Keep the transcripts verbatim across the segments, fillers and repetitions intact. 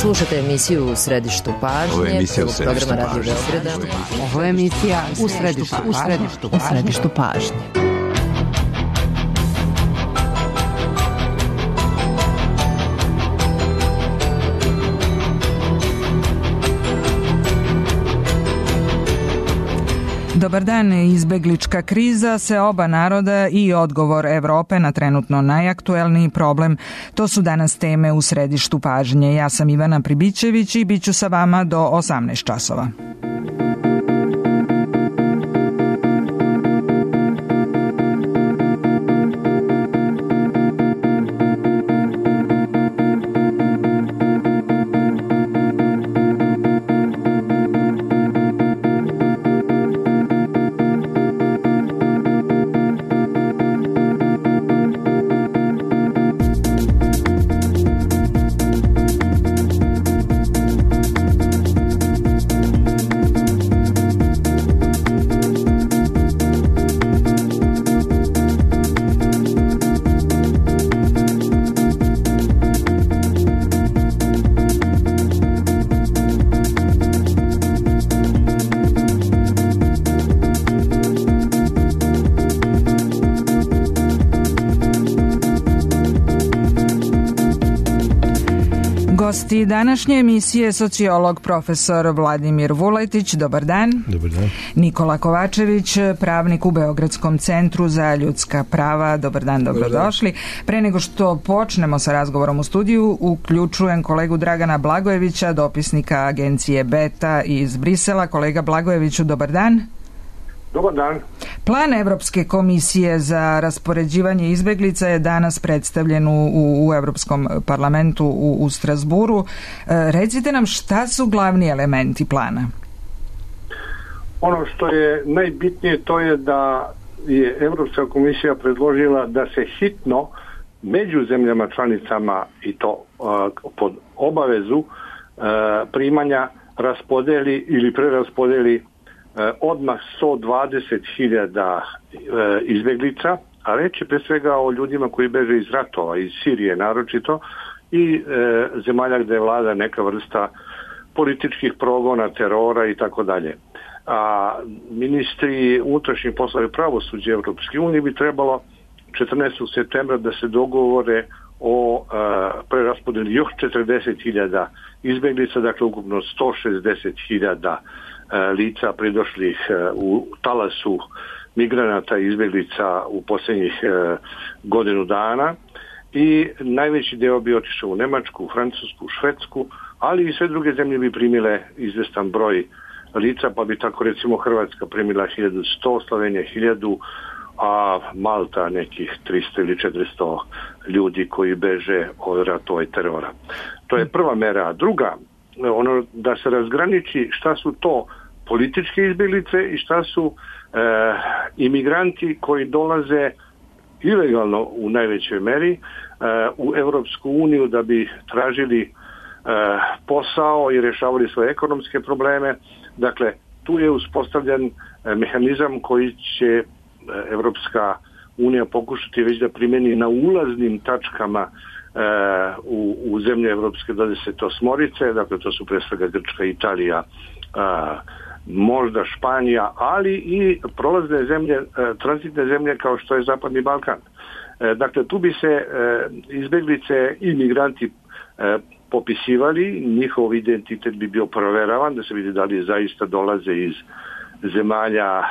Slušate emisiju U središtu pažnje. Ovo je emisija U središtu programa Radio pažnje. Beograda. Ovo je emisija U središtu, u središtu, u središtu pažnje. Dobar dan, izbeglička kriza, seoba naroda i odgovor Evrope na trenutno najaktuelniji problem. To su danas teme U središtu pažnje. Ja sam Ivana Pribićević i bit ću sa vama do osamnaest časova. Gosti današnje emisije sociolog profesor Vladimir Vuletić, dobar dan. Dobar dan. Nikola Kovačević, pravnik u Beogradskom centru za ljudska prava, dobar dan, dobrodošli. Pre nego što počnemo sa razgovorom u studiju, uključujem kolegu Dragana Blagojevića, dopisnika agencije Beta iz Brisela. Kolega Blagojeviću, dobar dan. Dobar dan. Plan Evropske komisije za raspoređivanje izbeglica je danas predstavljen u, u Evropskom parlamentu u, u Strasburu. E, recite nam šta su glavni elementi plana? Ono što je najbitnije to je da je Evropska komisija predložila da se hitno među zemljama članicama i to uh, pod obavezu uh, primanja raspodeli ili preraspodeli odmah sto dvadeset hiljada izbeglica, a reč je pre svega o ljudima koji beže iz ratova, iz Sirije naročito, i e, zemalja gde vlada neka vrsta političkih progona, terora i tako dalje. A ministri unutrašnjih poslova i pravosuđa Evropske unije bi trebalo četrnaestog septembra da se dogovore o e, preraspodeli još četrdeset hiljada izbeglica, dakle ukupno sto šezdeset hiljada lica pridošlih u talasu migranata i izbeglica u posljednjih godinu dana, i najveći deo bi otišao u Nemačku, Francusku, Švedsku, ali i sve druge zemlje bi primile izvestan broj lica, pa bi tako recimo Hrvatska primila hiljadu sto, Slovenija hiljadu, a Malta nekih tristo ili četiristo ljudi koji beže od ratova i terora. To je prva mera. A druga, ono da se razgraniči šta su to političke izbeglice i šta su e, imigranti koji dolaze ilegalno u najvećoj meri e, u Evropsku uniju da bi tražili e, posao i rješavali svoje ekonomske probleme. Dakle, tu je uspostavljen e, mehanizam koji će Evropska unija pokušati već da primjeni na ulaznim tačkama e, u, u zemlje Evropske dvadeset osmorice, dakle to su pre svega Grčka, Italija, a, možda Španija, ali i prolazne zemlje, e, tranzitne zemlje kao što je Zapadni Balkan. E, dakle, tu bi se e, izbeglice i migranti e, popisivali, njihov identitet bi bio proveravan, da se vidi da li zaista dolaze iz zemalja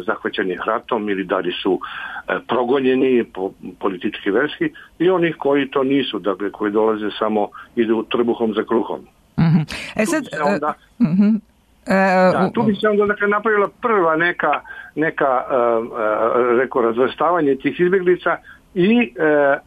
zahvaćenih ratom ili da li su e, progonjeni po, politički verski, i onih koji to nisu, dakle koji dolaze samo idu trbuhom za kruhom. Mm-hmm. E sad, tu bi se onda, uh, uh-huh. da, tu bi se onda dakle, napravila prva neka, neka uh, uh, reko, razvrstavanje tih izbjeglica, i e,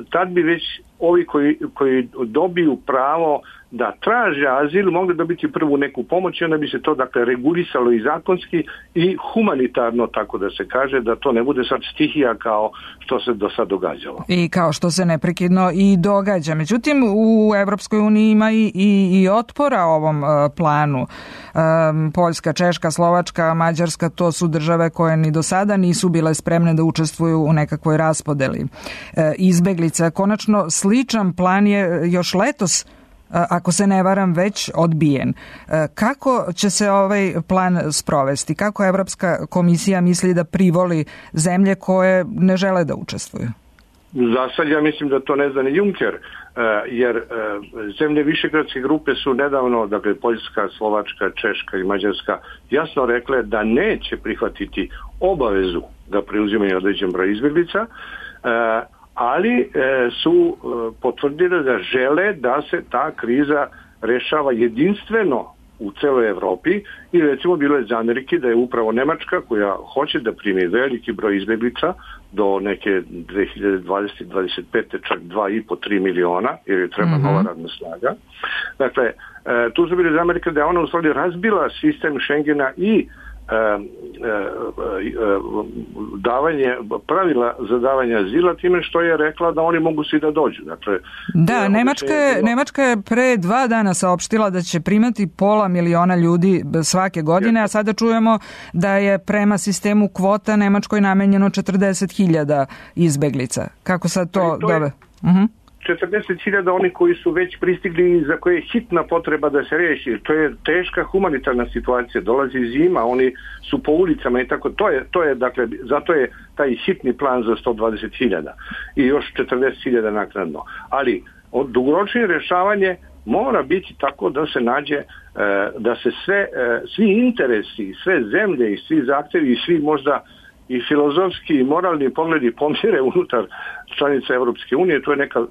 tad bi već ovi koji, koji dobiju pravo da traže azil mogli dobiti prvu neku pomoć, i onda bi se to dakle regulisalo i zakonski i humanitarno, tako da se kaže, da to ne bude sad stihija kao što se do sad događalo. I kao što se neprekidno i događa. Međutim, u Evropskoj uniji ima i, i, i otpora ovom uh, planu. Um, Poljska, Češka, Slovačka, Mađarska, to su države koje ni do sada nisu bile spremne da učestvuju u nekakvoj raspodeli uh, izbeglica. Konačno, sličan plan je još letos ako se ne varam, već odbijen. Kako će se ovaj plan sprovesti? Kako Evropska komisija misli da privoli zemlje koje ne žele da učestvuju? Za sad ja mislim da to ne zna ni Juncker, jer zemlje Višegradske grupe su nedavno, dakle Poljska, Slovačka, Češka i Mađarska, jasno rekle da neće prihvatiti obavezu da preuzimaju određen broj izbjeglica, ali su potvrdili da žele da se ta kriza rešava jedinstveno u celoj Evropi i recimo bilo je za Amerike da je upravo Nemačka koja hoće da primi veliki broj izbjeglica do neke dve hiljade dvadesete dvadeset pete čak dva i po do tri miliona jer je treba mm-hmm. nova radna snaga. Dakle, tu su bili za Amerike da je ona u stvari razbila sistem Schengena i E, e, e, davanje, pravila za davanje azila time što je rekla da oni mogu svi da dođu. Dakle, da, Nemačka je, bilo... Nemačka je pre dva dana saopštila da će primati pola miliona ljudi svake godine, a sada čujemo da je prema sistemu kvota Nemačkoj namenjeno četrdeset hiljada izbeglica. Kako sad to... to je... Dobe? Uh-huh. četrdeset hiljada oni koji su već pristigli i za koje je hitna potreba da se riješi. To je teška humanitarna situacija. Dolazi zima, oni su po ulicama i tako. To je, to je dakle, zato je taj hitni plan za sto dvadeset hiljada i još četrdeset hiljada naknadno. Ali dugoročno rješavanje mora biti tako da se nađe, da se sve, svi interesi, sve zemlje i svi zahtjevi i svi možda i filozofski i moralni pogledi pomire unutar članica Europske unije. To je neka,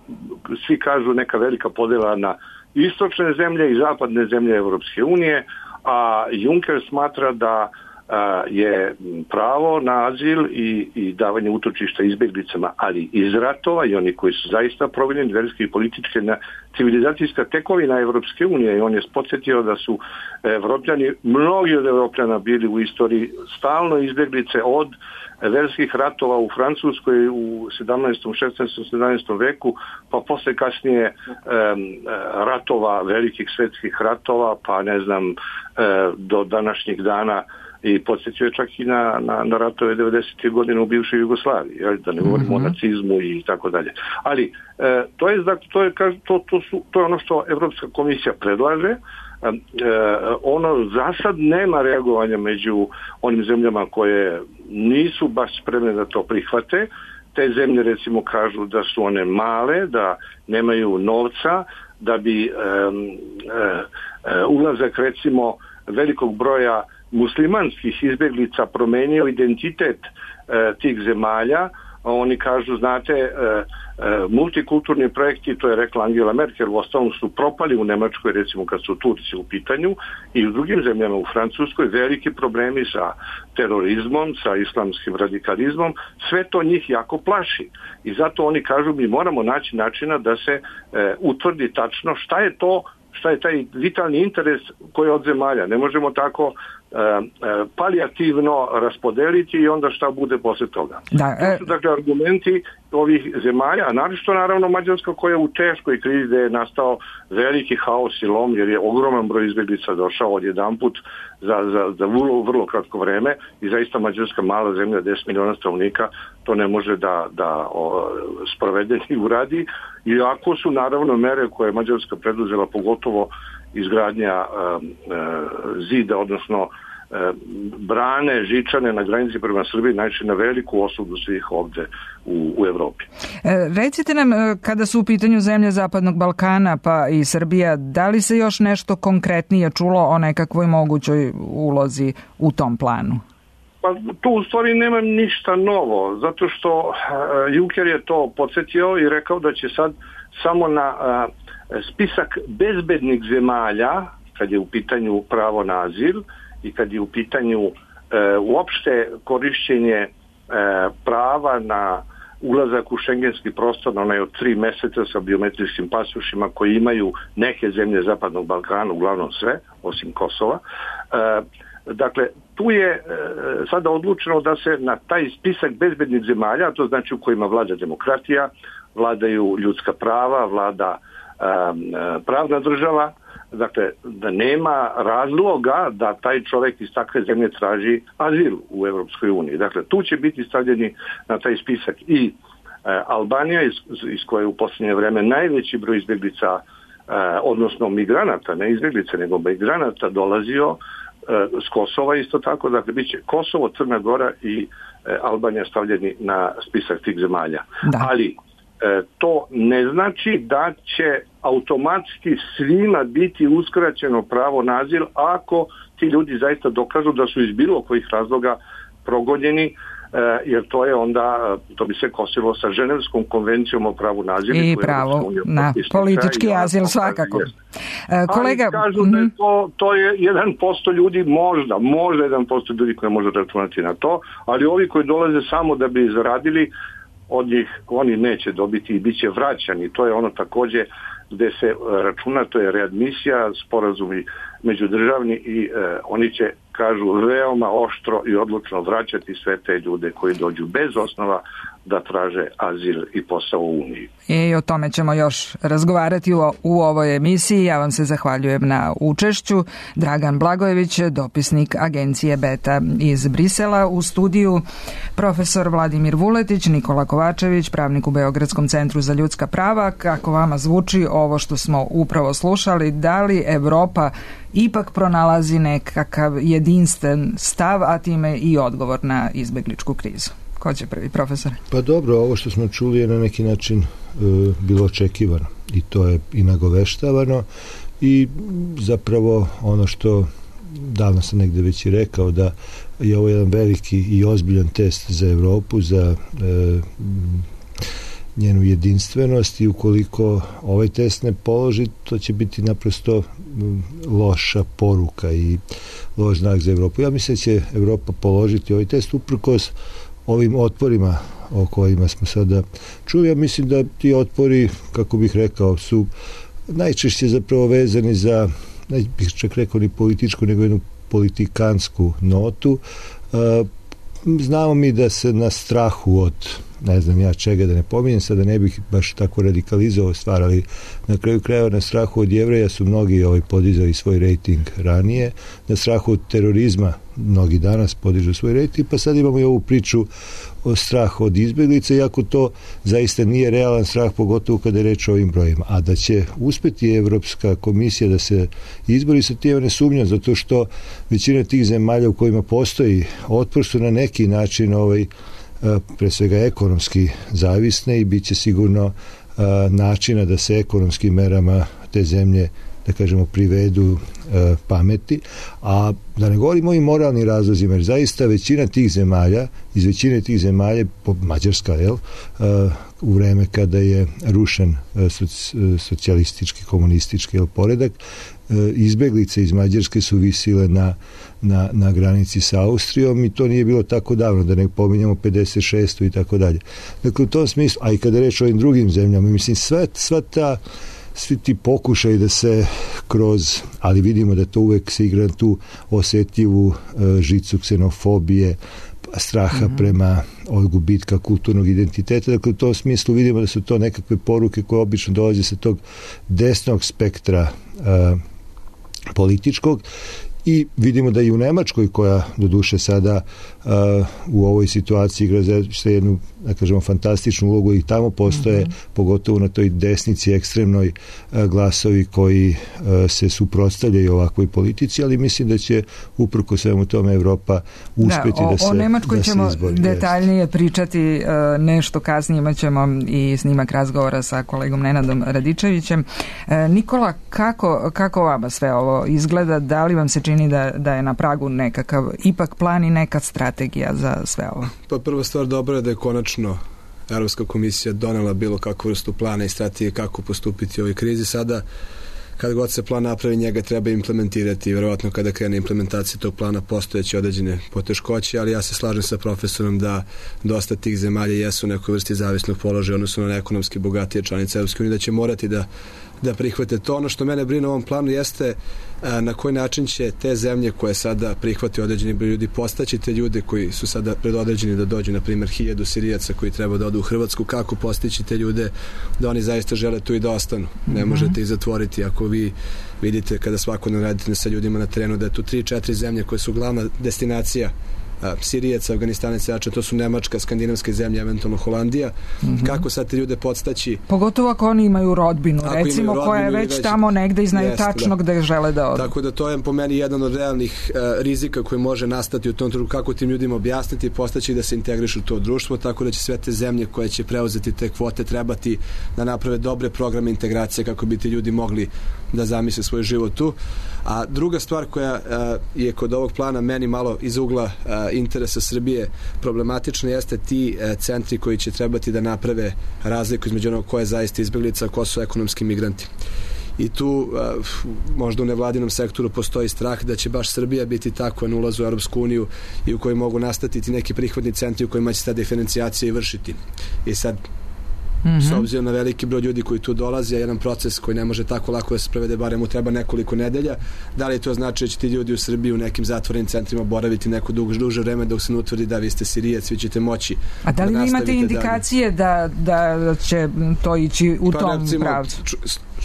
svi kažu, neka velika podjela na istočne zemlje i zapadne zemlje Europske unije, a Juncker smatra da a, je pravo na azil i, i davanje utočišta izbjeglicama, ali iz ratova i oni koji su zaista provinjeni verski i političke na civilizacijska tekovina Evropske unije i on je podsjetio da su Evropljani, mnogi od Evropljana bili u istoriji stalno izbjeglice od verskih ratova u Francuskoj u sedamnaestom, šesnaestom, sedamnaestom veku, pa posle kasnije e, ratova, velikih svetskih ratova, pa ne znam, e, do današnjih dana i podsjetio je čak i na, na, na ratove devedesetih godina u bivšoj Jugoslaviji, jel, da ne govorimo mm-hmm. o nacizmu i tako dalje. Ali e, to je to je to, to, su, to je ono što Evropska komisija predlaže. E, ono za sad nema reagovanja među onim zemljama koje nisu baš spremne da to prihvate. Te zemlje recimo kažu da su one male, da nemaju novca, da bi e, e, ulazak recimo velikog broja muslimanskih izbjeglica promenio identitet e, tih zemalja. Oni kažu, znate, e, e, multikulturni projekti, to je rekla Angela Merkel, u ostalom su propali u Nemačkoj, recimo kad su Turci u pitanju, i u drugim zemljama, u Francuskoj, veliki problemi sa terorizmom, sa islamskim radikalizmom, sve to njih jako plaši. I zato oni kažu, mi moramo naći načina da se e, utvrdi tačno šta je to, šta je taj vitalni interes koji je od zemalja. Ne možemo tako e, e, palijativno raspodeliti i onda šta bude posle toga. Da, e... To su dakle argumenti ovih zemalja, a naročito naravno Mađarska koja je u teškoj krizi gde je nastao veliki haos i lom jer je ogroman broj izbjeglica došao odjedanput za, za, za vrlo, vrlo kratko vreme i zaista Mađarska mala zemlja, deset miliona stanovnika, to ne može da, da o, sprovede i uradi. Iako su naravno mere koje je Mađarska preduzela, pogotovo izgradnja e, e, zida, odnosno e, brane, žičane na granici prema Srbiji, najčešće na veliku osudu svih ovde u, u Evropi. E, recite nam, kada su u pitanju zemlje Zapadnog Balkana pa i Srbija, da li se još nešto konkretnije čulo o nekakvoj mogućoj ulozi u tom planu? Pa tu u stvari nema ništa novo, zato što uh, Juncker je to podsjetio i rekao da će sad samo na uh, spisak bezbednih zemalja, kad je u pitanju pravo na azil i kad je u pitanju uh, uopšte korišćenje uh, prava na ulazak u šengenski prostor, onaj od tri meseca sa biometrijskim pasošima koji imaju neke zemlje Zapadnog Balkana, uglavnom sve, osim Kosova. Uh, Dakle, tu je e, sada odlučeno da se na taj spisak bezbednih zemalja, to znači u kojima vlada demokratija, vladaju ljudska prava, vlada e, pravna država, dakle, da nema razloga da taj čovjek iz takve zemlje traži azil u Evropskoj uniji. Dakle, tu će biti stavljeni na taj spisak i e, Albanija, iz, iz koje u posljednje vreme najveći broj izbjeglica odnosno migranata, ne izbjeglice, nego migranata dolazio s Kosova isto tako, dakle bit će Kosovo, Crna Gora i Albanija stavljeni na spisak tih zemalja. Da. Ali to ne znači da će automatski svima biti uskraćeno pravo na azil ako ti ljudi zaista dokažu da su iz bilo kojih razloga progonjeni, jer to je onda, to bi se kosilo sa Ženevskom konvencijom o pravu na azil. I pravo na politički azil svakako. Kolega, ali kažu da je to, to je jedan posto ljudi, možda, možda jedan posto ljudi koji može računati na to, ali ovi koji dolaze samo da bi zaradili, od njih oni neće dobiti i bit će vraćani. To je ono također gdje se računa, to je readmisija, sporazumi međudržavni i e, oni će, kažu, veoma oštro i odlučno vraćati sve te ljude koji dođu bez osnova da traže azil i posao u Uniji. I o tome ćemo još razgovarati u, u ovoj emisiji. Ja vam se zahvaljujem na učešću. Dragan Blagojević, dopisnik agencije Beta iz Brisela, u studiju profesor Vladimir Vuletić, Nikola Kovačević, pravnik u Beogradskom centru za ljudska prava. Kako vama zvuči ovo što smo upravo slušali? Da li Evropa ipak pronalazi nekakav jedinstven stav, a time i odgovor na izbegličku krizu? Ko će prvi, profesor? Pa dobro, ovo što smo čuli je na neki način e, bilo očekivano i to je i nagoveštavano i zapravo ono što davno sam negde već i rekao, da je ovo jedan veliki i ozbiljan test za Evropu, za e, njenu jedinstvenost, i ukoliko ovaj test ne položi, to će biti naprosto loša poruka i loš znak za Evropu. Ja mislim da će Evropa položiti ovaj test uprkos ovim otporima o kojima smo sada čuli. Ja mislim da ti otpori, kako bih rekao, su najčešće zapravo vezani za, ne bih čak rekao ni političku, nego jednu politikansku notu. Znamo mi da se na strahu od, ne znam ja čega, da ne pominjem, sada ne bih baš tako radikalizovao stvar, ali na kraju krajeva na strahu od Jevreja su mnogi ovaj, podizali svoj rejting ranije, na strahu od terorizma mnogi danas podižu svoj rejting, pa sad imamo i ovu priču o strahu od izbjeglica, iako to zaista nije realan strah, pogotovo kada je reč o ovim brojima. A da će uspjeti Evropska komisija da se izbori sa tim, ne sumnjam, zato što većina tih zemalja u kojima postoji otpor su na neki način ovaj, pre svega ekonomski zavisne i bit će sigurno a, načina da se ekonomskim merama te zemlje, da kažemo, privedu a, pameti, a da ne govorimo o ovim moralnim razlozima, jer zaista većina tih zemalja, iz većine tih zemalja, Mađarska, jel, a, u vreme kada je rušen a, soci, socijalistički, komunistički jel, poredak, a, izbeglice iz Mađarske su visile na Na, na granici sa Austrijom i to nije bilo tako davno, da ne pominjamo pedeset šestu i tako dalje. Dakle, u tom smislu, a i kada reč o ovim drugim zemljama, mislim, sva, sva ta, svi ti pokušaj da se kroz, ali vidimo da to uvek se igra na tu osjetljivu uh, žicu ksenofobije, straha mm-hmm. prema od gubitka kulturnog identiteta. Dakle, u tom smislu vidimo da su to nekakve poruke koje obično dolaze sa tog desnog spektra uh, političkog. I vidimo da i u Nemačkoj, koja doduše sada uh, u ovoj situaciji igra za jednu, da kažemo, fantastičnu ulogu, i tamo postoje, mm-hmm. pogotovo na toj desnici ekstremnoj, uh, glasovi koji uh, se suprotstavljaju ovakvoj politici, ali mislim da će uprko svemu tome Evropa uspjeti da, o, da se o Nemačkoj da ćemo izbori, detaljnije jest. pričati uh, nešto kasnije, imat ćemo i snimak razgovora sa kolegom Nenadom Radičevićem. Uh, Nikola, kako, kako vama sve ovo izgleda? Da li vam se čini da, da je na pragu nekakav ipak plan i neka strategija za sve ovo? Pa prva stvar dobra je da je konačno Evropska komisija donela bilo kakvu vrstu plana i strategije kako postupiti u ovoj krizi. Sada, kad god se plan napravi, njega treba implementirati i verovatno kada krene implementacija tog plana postojeće određene poteškoće, ali ja se slažem sa profesorom da dosta tih zemalja jesu u nekoj vrsti zavisnog položaja, odnosno na ekonomski bogatije članice Evropske unije, da će morati da da prihvate to. Ono što mene brine u ovom planu jeste a, na koji način će te zemlje koje sada prihvate određeni broj ljudi postaći te ljude koji su sada predodređeni da dođu, na primjer hiljadu Sirijaca koji treba da odu u Hrvatsku, kako postići te ljude da oni zaista žele tu i da ostanu. Ne mm-hmm. možete ih zatvoriti ako vi vidite kada svakodnevno radite sa ljudima na terenu da je tu tri četiri zemlje koje su glavna destinacija Sirijaca, Afganistanaca, to su Nemačka, skandinavske zemlje, eventualno Holandija. Mm-hmm. Kako sad te ljude podstaći? Pogotovo ako oni imaju rodbinu, ako recimo, imaju rodbinu, koja je već, već tamo negde i znaju jest, tačno da. Gde žele da odu. Tako da to je po meni jedan od realnih uh, rizika koji može nastati u tom trenutku, kako tim ljudima objasniti i postaći da se integrišu u to društvo, tako da će sve te zemlje koje će preuzeti te kvote trebati da naprave dobre programe integracije kako bi ti ljudi mogli da zamisle svoj život tu. A druga stvar koja uh, je kod ovog plana meni malo iz ugla uh, interesa Srbije problematična jeste ti uh, centri koji će trebati da naprave razliku između onog ko je zaista izbeglica, ko su ekonomski migranti. I tu uh, možda u nevladinom sektoru postoji strah da će baš Srbija biti tako na ulazu u Europsku uniju i u kojoj mogu nastati ti neki prihvatni centri u kojima će ta diferencijacija i vršiti. I sad Mm-hmm. s obzirom na veliki broj ljudi koji tu dolaze, jedan proces koji ne može tako lako da se prevede, barem mu treba nekoliko nedelja. Da li to znači da će ti ljudi u Srbiji u nekim zatvorenim centrima boraviti neko duže, duže vreme dok se ne utvrdi da vi ste Sirijac, vi ćete moći. A da li da vi imate indikacije da, da će to ići u pa, tom recimo, pravcu? Ču,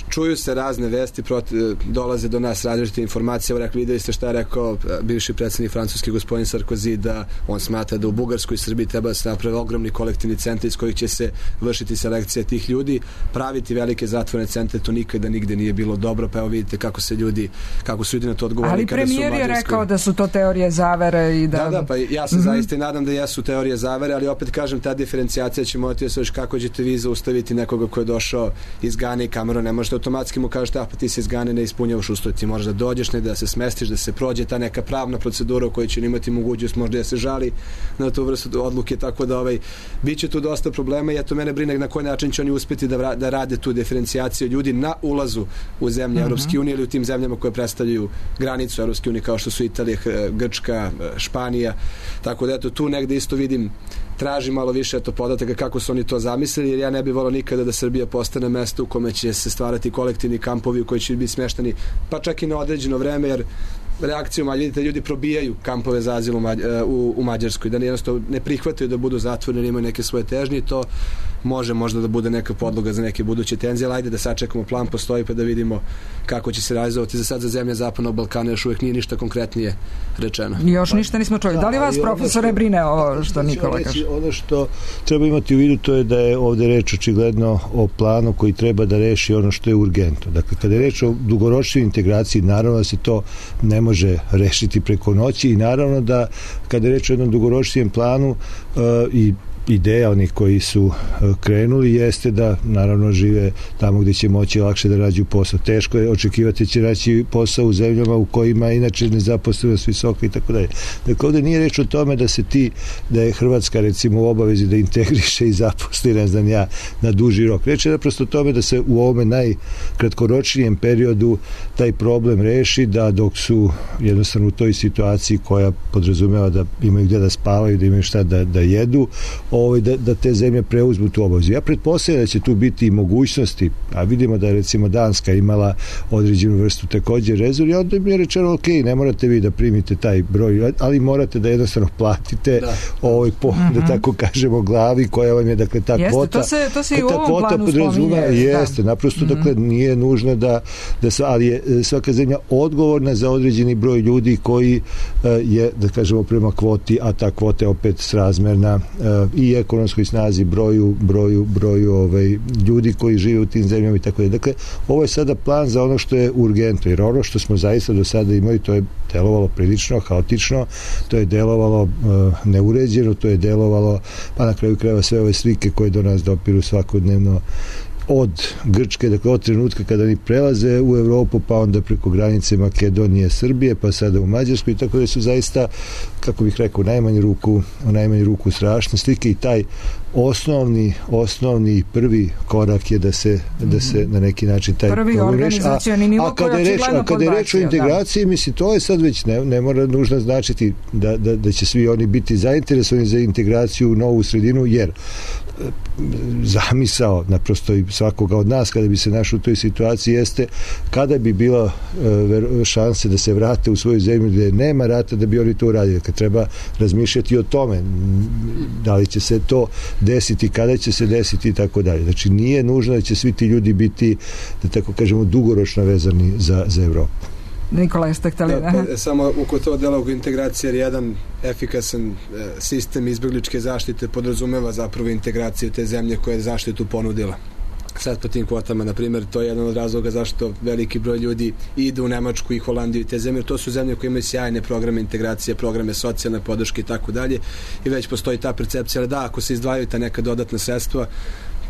čuju se razne vesti, proti, dolaze do nas različite informacije. Evo, rekli, videli ste šta je rekao bivši predsjednik francuski gospodin Sarkozy, da on smatra da u Bugarskoj i Srbiji treba da se naprave ogromni kolektivni centri iz kojih će se vršiti selekcija tih ljudi, praviti velike zatvorene centre, to nikada nigde nije bilo dobro, pa evo vidite kako se ljudi, kako su ljudi na to odgovorili. Ali premijer je rekao da su to teorije zavere i da... Da, da, pa ja se mm-hmm. zaista i nadam da jesu teorije zavere, ali opet kažem, ta diferencijacija će morati da se već kako ćete vi zaustaviti nekoga ko je došao iz Gane i Kameruna, ne možete automatski mu kažete, a pa ti se iz Gane ne ispunjavaš uslove, ti možeš da dođeš, ne da se smestiš, da se prođe ta neka pravna procedura u kojoj će imati mogućnost možda da se žali na tu vrstu odluke, tako da ovaj, bit će tu dosta problema i eto mene brine na koji način će oni uspjeti da, da rade tu diferencijaciju ljudi na ulazu u zemlje mm-hmm. Europske unije ili u tim zemljama koje predstavljaju granicu Europske unije kao što su Italija, Grčka, Španija, tako da eto tu negde isto vidim, traži malo više eto podataka kako su oni to zamislili, jer ja ne bih volao nikada da Srbija postane mesto u kome će se stvarati kolektivni kampovi u koji će biti smeštani pa čak i na određeno vreme, jer reakcijom, vidite, ljudi probijaju kampove za azil u, u, u Mađarskoj, da jednostavno ne prihvataju da budu zatvoreni, imaju neke svoje težnje i to može možda da bude neka podloga za neke buduće tenzije, ali ajde da sačekamo, plan postoji pa da vidimo kako će se realizovati. Za sad za zemlje Zapadnog Balkana još uvijek nije ništa konkretnije rečeno. Još ništa nismo čuli. Da, da li vas, profesore, brine ovo što Nikola kaže? Ono što treba imati u vidu to je da je ovde reč očigledno o planu koji treba da reši ono što je urgentno. Dakle, kada je reč o dugoročnoj integraciji, naravno da se to ne može rešiti preko noći i naravno da kada je reč o jednom dugoročnijem planu uh, i ideja onih koji su krenuli jeste da naravno žive tamo gdje će moći lakše da rađu posao. Teško je očekivati će raći posao u zemljama u kojima inače nezaposlenost visoka i tako dalje. Dakle, ovdje nije reč o tome da se ti, da je Hrvatska recimo u obavezi da integriše i zaposli, ne znam ja, na duži rok. Reč je naprosto o tome da se u ovome najkratkoročnijem periodu taj problem reši, da dok su jednostavno u toj situaciji koja podrazumeva da imaju gdje da spavaju, da imaju šta da, da jedu, Ovaj, da, da te zemlje preuzmu tu obavezu. Ja pretpostavljam da će tu biti i mogućnosti, a vidimo da je recimo Danska imala određenu vrstu također rezervi, a onda mi je rečeno, ok, ne morate vi da primite taj broj, ali morate da jednostavno platite da. ovaj po, mm-hmm. da tako kažemo, glavi koja vam je, dakle, ta jeste, kvota. To se, to se i u ovom planu spominje. Jeste, da. naprosto, mm-hmm. dakle, nije nužno da, da sva, ali je svaka zemlja odgovorna za određeni broj ljudi koji uh, je, da kažemo, prema kvoti, a ta kvota je opet srazmerna uh, i ekonomskoj snazi, broju, broju, broju ovaj, ljudi koji žive u tim zemljama i tako je. Dakle, ovo je sada plan za ono što je urgentno, jer ono što smo zaista do sada imali, to je delovalo prilično haotično, to je delovalo uh, neuređeno, to je delovalo, pa na kraju krajeva sve ove slike koje do nas dopiru svakodnevno od Grčke, dakle od trenutka kada oni prelaze u Evropu, pa onda preko granice Makedonije, Srbije, pa sada u Mađarsku, i tako da su zaista, kako bih rekao, u najmanju ruku, u najmanju ruku strašne slike, i taj osnovni, osnovni prvi korak je da se, da se na neki način taj prvi organizacioni nivo koji je očigledno podbacio. A kada je reč o integraciji, da. mislim, to je sad već ne, ne mora nužno značiti da, da, da će svi oni biti zainteresovani za integraciju u novu sredinu, jer zamisao naprosto i svakoga od nas kada bi se našao u toj situaciji jeste kada bi bila uh, šanse da se vrate u svoju zemlju gdje nema rata, da bi oni to uradili. Kad treba razmišljati o tome da li će se to desiti, kada će se desiti i tako dalje. Znači nije nužno da će svi ti ljudi biti, da tako kažemo, dugoročno vezani za, za Evropu. Nikola, jeste htjeli? Da, pa, samo oko to dela oko integracije, jer jedan efikasan e, sistem izbjegličke zaštite podrazumeva zapravo integraciju te zemlje koja je zaštitu ponudila. Sad po tim kvotama, na primjer, to je jedan od razloga zašto veliki broj ljudi ide u Nemačku i Holandiju i te zemlje. To su zemlje koje imaju sjajne programe integracije, programe socijalne podrške i tako dalje, i već postoji ta percepcija, ali da, ako se izdvajaju ta neka dodatna sredstva,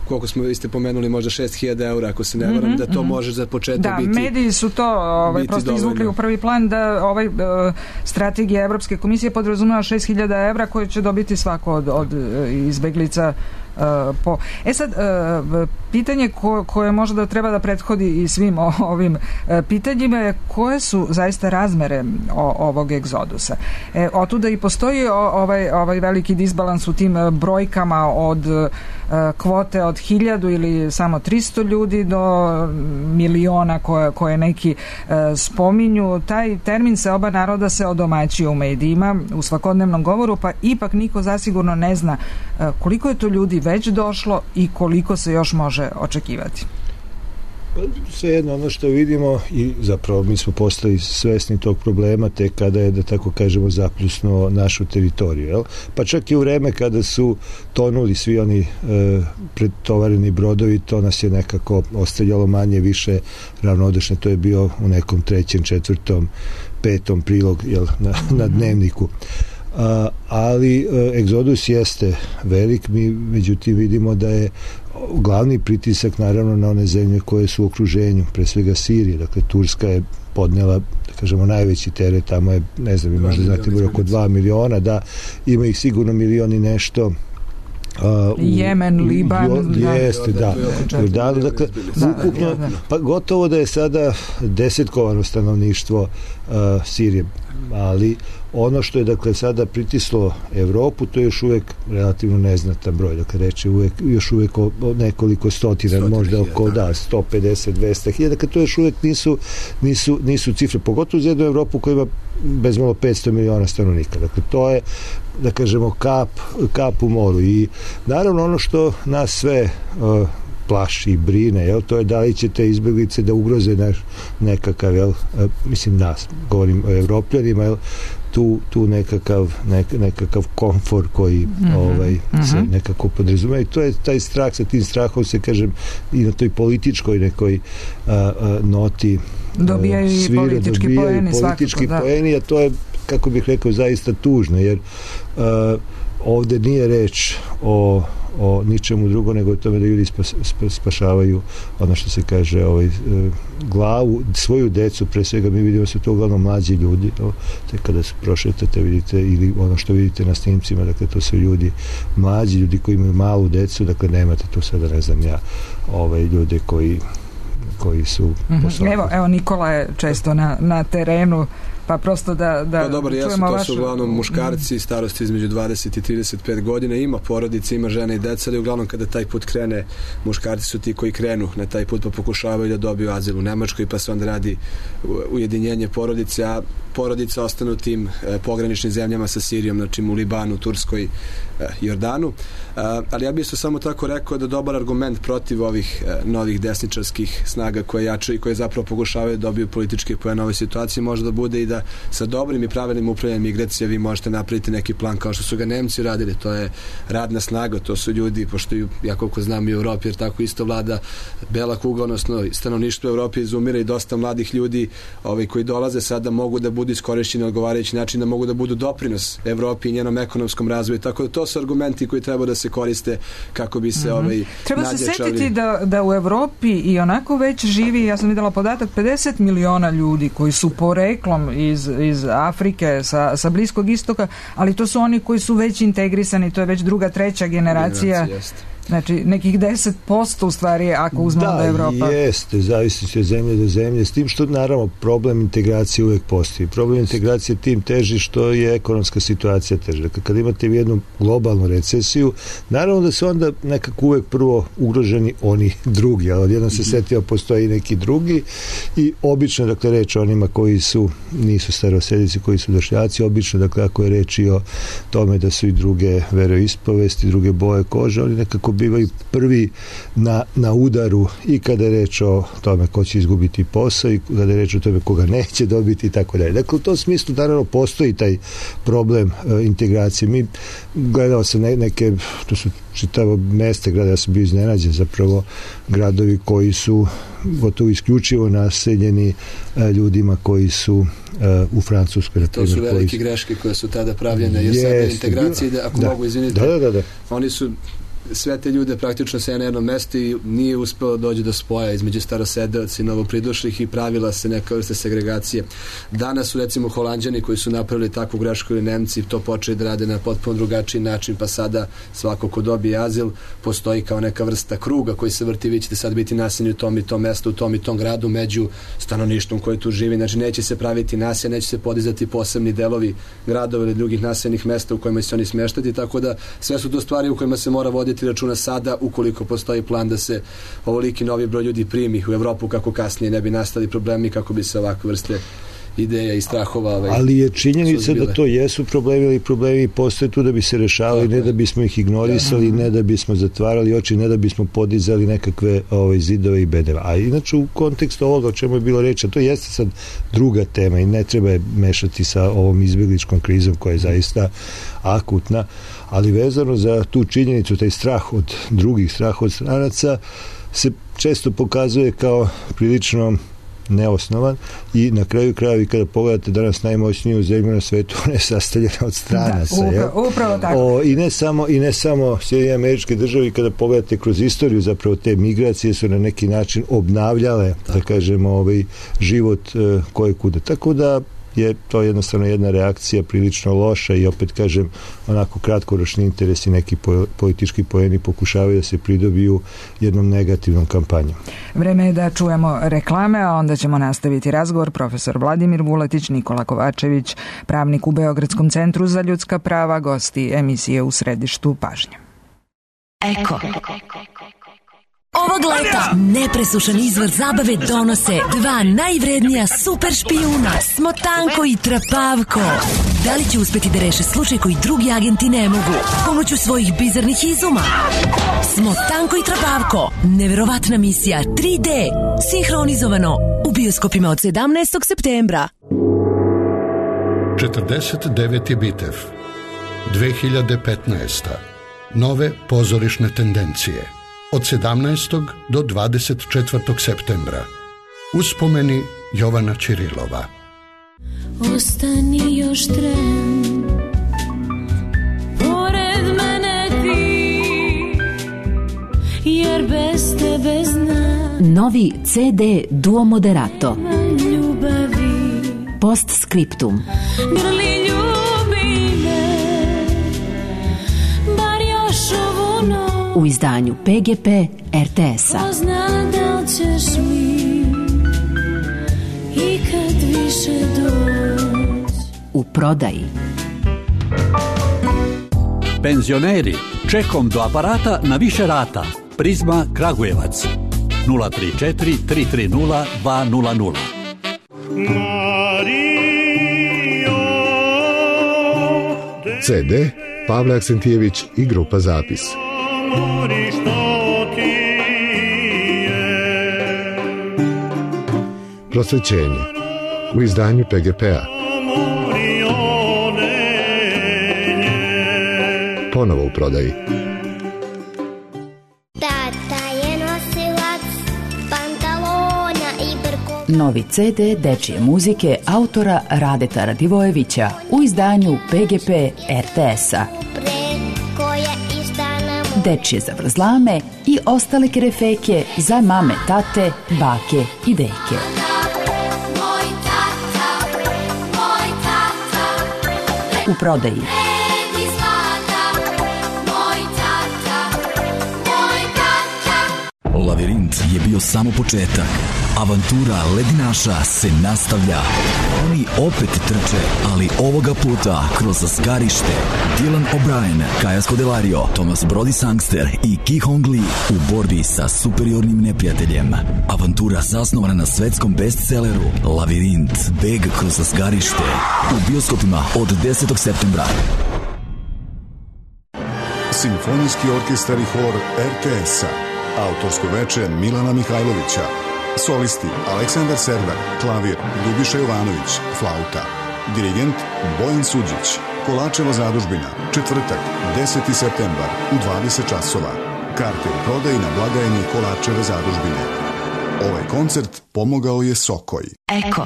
koliko smo, vi ste pomenuli, možda šest hiljada eura, ako se ne varam, mm-hmm, da to mm-hmm. može za početak da, biti... Da, mediji su to ovaj, prosto dovoljno izvukli u prvi plan, da ovaj uh, strategija Evropske komisije podrazumeva šest hiljada evra koje će dobiti svako od, od izbeglica. Uh, po... E sad, uh, pitanje ko, koje možda treba da prethodi i svim o, ovim uh, pitanjima je koje su zaista razmere o, ovog egzodusa. E, otuda i postoji o, ovaj, ovaj veliki disbalans u tim uh, brojkama od uh, kvote od hiljadu ili samo tristo ljudi do miliona koje, koje neki uh, spominju. Taj termin se oba naroda se odomaćio u medijima, u svakodnevnom govoru, pa ipak niko zasigurno ne zna uh, koliko je to ljudi već došlo i koliko se još može očekivati. Svejedno, ono što vidimo, i zapravo mi smo postali svesni tog problema tek kada je, da tako kažemo, zapljusnuo našu teritoriju. Jel? Pa čak i u vreme kada su tonuli svi oni e, pretovareni brodovi, to nas je nekako ostavljalo manje više ravnodušno. To je bio u nekom trećem, četvrtom, petom prilog, jel, na, na dnevniku. A, ali e, egzodus jeste velik, mi međutim vidimo da je glavni pritisak naravno na one zemlje koje su u okruženju, pre svega Sirije, dakle Turska je podnela, da kažemo, najveći teret, tamo je, ne znam, možda znate, bilo oko dva miliona, da, ima ih sigurno milion i nešto. Uh, Jemen, Liban, jo, da, jeste, da, da, da, dakle, da, ukupno, da, pa gotovo da je sada desetkovano stanovništvo uh, Sirije, ali ono što je, dakle, sada pritislo Evropu, to je još uvijek relativno neznatan broj, dakle, reče uvijek, još uvijek o, o nekoliko stotina, Stotin možda oko, hiljada. Da, sto pedeset do dvesta hiljada, dakle, to još uvijek nisu, nisu, nisu cifre, pogotovo za jednu Evropu koja ima bez malo petsto miliona stanovnika, dakle, to je, da kažemo, kap, kap u moru. I naravno ono što nas sve uh, plaši i brine, jel, to je da li će te izbjeglice da ugroze naš nekakav, jel, uh, mislim nas, govorim o Evropljanima, jel, tu, tu nekakav, nek, nekakav komfor koji mm-hmm. ovaj, mm-hmm. se nekako podrazumeva, i to je taj strah, sa tim strahom se, kažem, i na toj političkoj nekoj uh, uh, noti dobijaju i svira, politički dobijaju poeni, politički svakako, poeni, a to je, kako bih rekao, zaista tužno, jer uh, ovde nije reč o, o ničemu drugo nego o tome da ljudi spas, spas, spašavaju ono što se kaže ovaj, uh, glavu, svoju decu, pre svega mi vidimo su to uglavnom mlađi ljudi, no, te kada se prošetate vidite, ili ono što vidite na snimcima, dakle to su ljudi mlađi, ljudi koji imaju malu decu, dakle nemate tu sada, ne znam ja, ovaj, ljude koji koji su mm-hmm. evo, evo Nikola je često na, na terenu, pa prosto da, da pa dobro, jesu, to vašu... su uglavnom muškarci starosti između dvadeset i trideset pet godina, ima porodice, ima žene i deca, ali uglavnom kada taj put krene, muškarci su ti koji krenu na taj put pa pokušavaju da dobiju azil u Nemačkoj, pa se onda radi ujedinjenje porodice, a porodica ostanu tim e, pograničnim zemljama sa Sirijom, znači u Libanu, Turskoj, e, Jordanu. E, ali ja bih isto samo tako rekao da dobar argument protiv ovih e, novih desničarskih snaga koje jačaju i koje zapravo pokušavaju da dobiju političke poene ove situacije, može da bude i da sa dobrim i pravilnim upravljanjem migracije vi možete napraviti neki plan kao što su ga Nemci radili, to je radna snaga, to su ljudi, pošto ja koliko znam i u Evropi, jer tako isto vlada bela kuga, odnosno stanovništvo u Evropi izumira i dosta mladih ljudi ovi, koji dolaze sada mogu da budu iskorišćeni na odgovarajući način, da mogu da budu doprinos Evropi i njenom ekonomskom razvoju, tako da to su argumenti koji treba da se koriste kako bi se mm-hmm. ovaj, treba nadjačali. Se setiti da, da u Evropi i onako već živi, ja sam videla podatak, pedeset miliona ljudi koji su poreklom iz, iz Afrike, sa, sa Bliskog istoka, ali to su oni koji su već integrisani, to je već druga, treća generacija. Generacija znači, nekih deset posto u stvari, ako uzmemo da, da Evropa. Da, jeste, zavisi od zemlje do zemlje, s tim što, naravno, problem integracije uvek postoji. Problem integracije tim teži što je ekonomska situacija teža. Dakle, kad imate jednu globalnu recesiju, naravno da su onda nekako uvek prvo ugroženi oni drugi, ali odjednom se setio postoji i neki drugi i obično, dakle, reč o onima koji su, nisu starosedici, koji su došljaci, obično, dakle, ako je reč i o tome da su i druge veroispovesti, druge boje kože, oni nekako bivaju prvi na, na udaru i kada je reč o tome ko će izgubiti posao i kada je reč o tome koga neće dobiti i tako dalje. Dakle, u tom smislu naravno postoji taj problem e, integracije. Mi gledao sam ne, neke, to su čitavo mesta grada, ja sam bio iznenađen zapravo gradovi koji su gotovo isključivo naseljeni e, ljudima koji su e, u Francuskoj. To su velike greške koje su tada pravljene, jer sada integracije, da, ako da, mogu izviniti, da, da, da. oni su sve te ljude praktično se na jednom mestu i nije uspelo doći do spoja između starosedeoca i novopridošlih i pravila se neka vrsta segregacije. Danas su recimo Holanđani koji su napravili takvu grešku ili Nemci to počeli da rade na potpuno drugačiji način, pa sada svako ko dobije azil postoji kao neka vrsta kruga koji se vrti, vi ćete sad biti naseljeni u tom i tom mestu, u tom i tom gradu među stanovništvom koji tu živi. Znači neće se praviti naselja, neće se podizati posebni delovi gradova ili drugih naseljenih mesta u kojima će se oni smeštati, tako da sve su to stvari u kojima se mora voditi računa sada ukoliko postoji plan da se ovoliki novi broj ljudi primi u Evropu kako kasnije ne bi nastali problemi, kako bi se ovakve vrste ideja i strahova ovaj, ali je činjenica da to jesu problemi, ali problemi postoje tu da bi se rešavali, ne da bismo ih ignorisali, ne da bismo zatvarali oči, ne da bismo podizali nekakve ovaj, zidove i bedeve. A inače u kontekstu ovoga o čemu je bilo reći, to jeste sad druga tema i ne treba je mešati sa ovom izbjegličkom krizom koja je zaista akutna, ali vezano za tu činjenicu, taj strah od drugih, strah od stranaca se često pokazuje kao prilično neosnovan i na kraju krajevi kada pogledate danas najmoćniju zemlju na svetu, ona je sastavljena od stranaca. Da, upravo, upravo tako. O, i ne samo, i ne samo Sjedinjene Američke Države, kada pogledate kroz istoriju zapravo te migracije su na neki način obnavljale, tako da kažemo, ovaj život uh, koje kuda. Tako da je to jednostavno jedna reakcija prilično loša i opet kažem onako kratkoročni interesi neki po, politički poeni pokušavaju da se pridobiju jednom negativnom kampanjom. Vreme je da čujemo reklame, a onda ćemo nastaviti razgovor. Profesor Vladimir Vuletić, Nikola Kovačević, pravnik u Beogradskom centru za ljudska prava, gosti emisije U središtu pažnje. Eko. Ovog leta nepresušan izvor zabave donose dva najvrednija super špijuna, Smotanko i Trapavko. Da li će uspeti da reše slučaj koji drugi agenti ne mogu pomoću svojih bizarnih izuma? Smotanko i Trapavko, neverovatna misija tri D, sinhronizovano u bioskopima od sedamnaestog septembra. četrdeset deveti bitev, dve hiljade petnaesta. Nove pozorišne tendencije. Od sedamnaestog do dvadeset četvrtog septembra. Uspomeni Jovana Ćirilova. Ostani još tren, pored mene ti, jer bez tebe znam. Novi C D Duo Moderato. Ljubavi. Postscriptum. Grli ljubi me, bar još ovu noć. U izdanju P G P R T S-a. Pozna da ćeš mi i kad više doć. U prodaji. Penzioneri, čekom do aparata na više rata. Prizma Kragujevac. nula tri četiri tri tri nula dva nula nula. C D Pavle Aksentijević i grupa Zapis. Prosvećenje u izdanju P G P-a. Ponovo u prodaji. Tata je nosilac pantalona i brkova. Novi C D dečije muzike autora Radeta Radivojevića u izdanju P G P R T S-a. Dečije zavrzlame i ostale kerefeke za mame, tate, bake i deke. U prodaji. Lavirint je bio samo početak. Avantura ledinaša se nastavlja. Oni opet trče, ali ovoga puta kroz zgarište. Dylan O'Brien, Kaja Scodelario, Thomas Brody Sangster i Ki Hong Lee u borbi sa superiornim neprijateljem. Avantura zasnovana na svetskom bestselleru Lavirint, beg kroz zgarište. U bioskopima od desetog septembra. Simfonijski orkestar i hor er te es-a, autorsko veče Milana Mihajlovića, solisti Aleksandar Servar, klavir, Ljubiša Jovanović, flauta, dirigent Bojan Suđić, Kolačeva zadužbina, četvrtak, deseti septembar u dvadeset časova. Karte u prodaji na blagajni Kolačeve zadužbine. Ovaj koncert pomogao je Sokoj. Eko.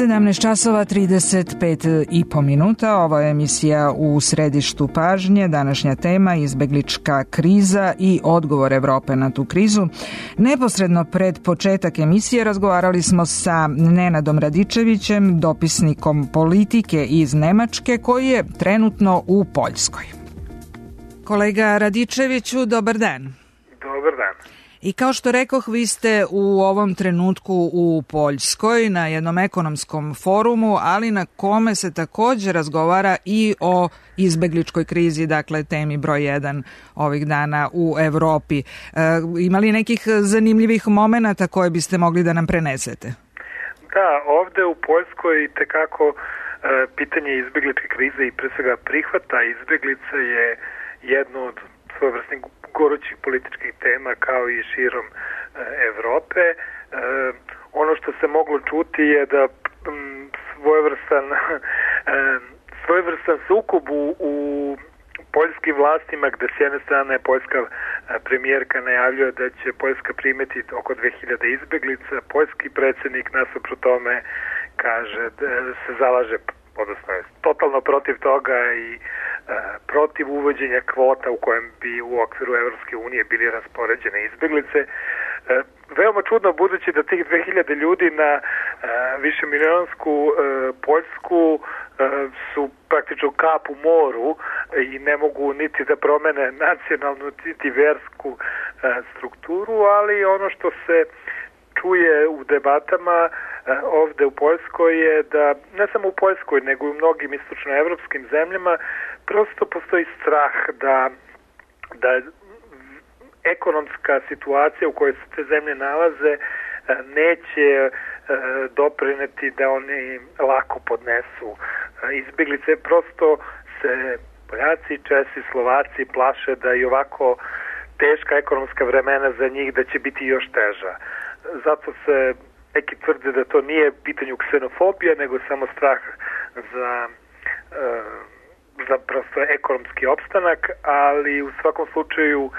sedamnaest časova trideset pet i po minuta. Ovo je emisija U središtu pažnje. Današnja tema izbeglička kriza i odgovor Evrope na tu krizu. Neposredno pred početak emisije razgovarali smo sa Nenadom Radičevićem, dopisnikom politike iz Nemačke, koji je trenutno u Poljskoj. Kolega Radičeviću, dobar dan. Dobar dan. I kao što rekoh, vi ste u ovom trenutku u Poljskoj na jednom ekonomskom forumu, ali na kome se također razgovara i o izbegličkoj krizi, dakle temi broj jedan ovih dana u Evropi. E, ima li nekih zanimljivih momenata koje biste mogli da nam prenesete? Da, ovde u Poljskoj tekako e, pitanje izbegličke krize i pre svega prihvata izbeglica je jedno od svojevrsnih gorućih političkih tema kao i širom e, Evrope. E, ono što se moglo čuti je da m, svojevrstan e, svojevrstan sukob u, u poljskim vlastima, gde s jedne strane poljska premijerka najavljuje da će Poljska primeti oko dve hiljade izbeglica, poljski predsjednik nasuprot tome kaže da se zalaže, odnosno je totalno protiv toga i protiv uvođenja kvota u kojem bi u okviru Evropske unije bili raspoređene izbeglice. Veoma čudno, budući da tih dve hiljade ljudi na višemilionsku Poljsku su praktično kap u moru i ne mogu niti da promene nacionalnu niti versku strukturu, ali ono što se čuje u debatama ovde u Poljskoj je da, ne samo u Poljskoj, nego i u mnogim istočnoevropskim zemljama, prosto postoji strah da, da ekonomska situacija u kojoj se te zemlje nalaze neće doprineti da oni lako podnesu izbeglice. Prosto se Poljaci, Česi, Slovaci plaše da i ovako teška ekonomska vremena za njih da će biti još teža. Zato se neki tvrde da to nije pitanju ksenofobija, nego samo strah za, za prosto ekonomski opstanak, ali u svakom slučaju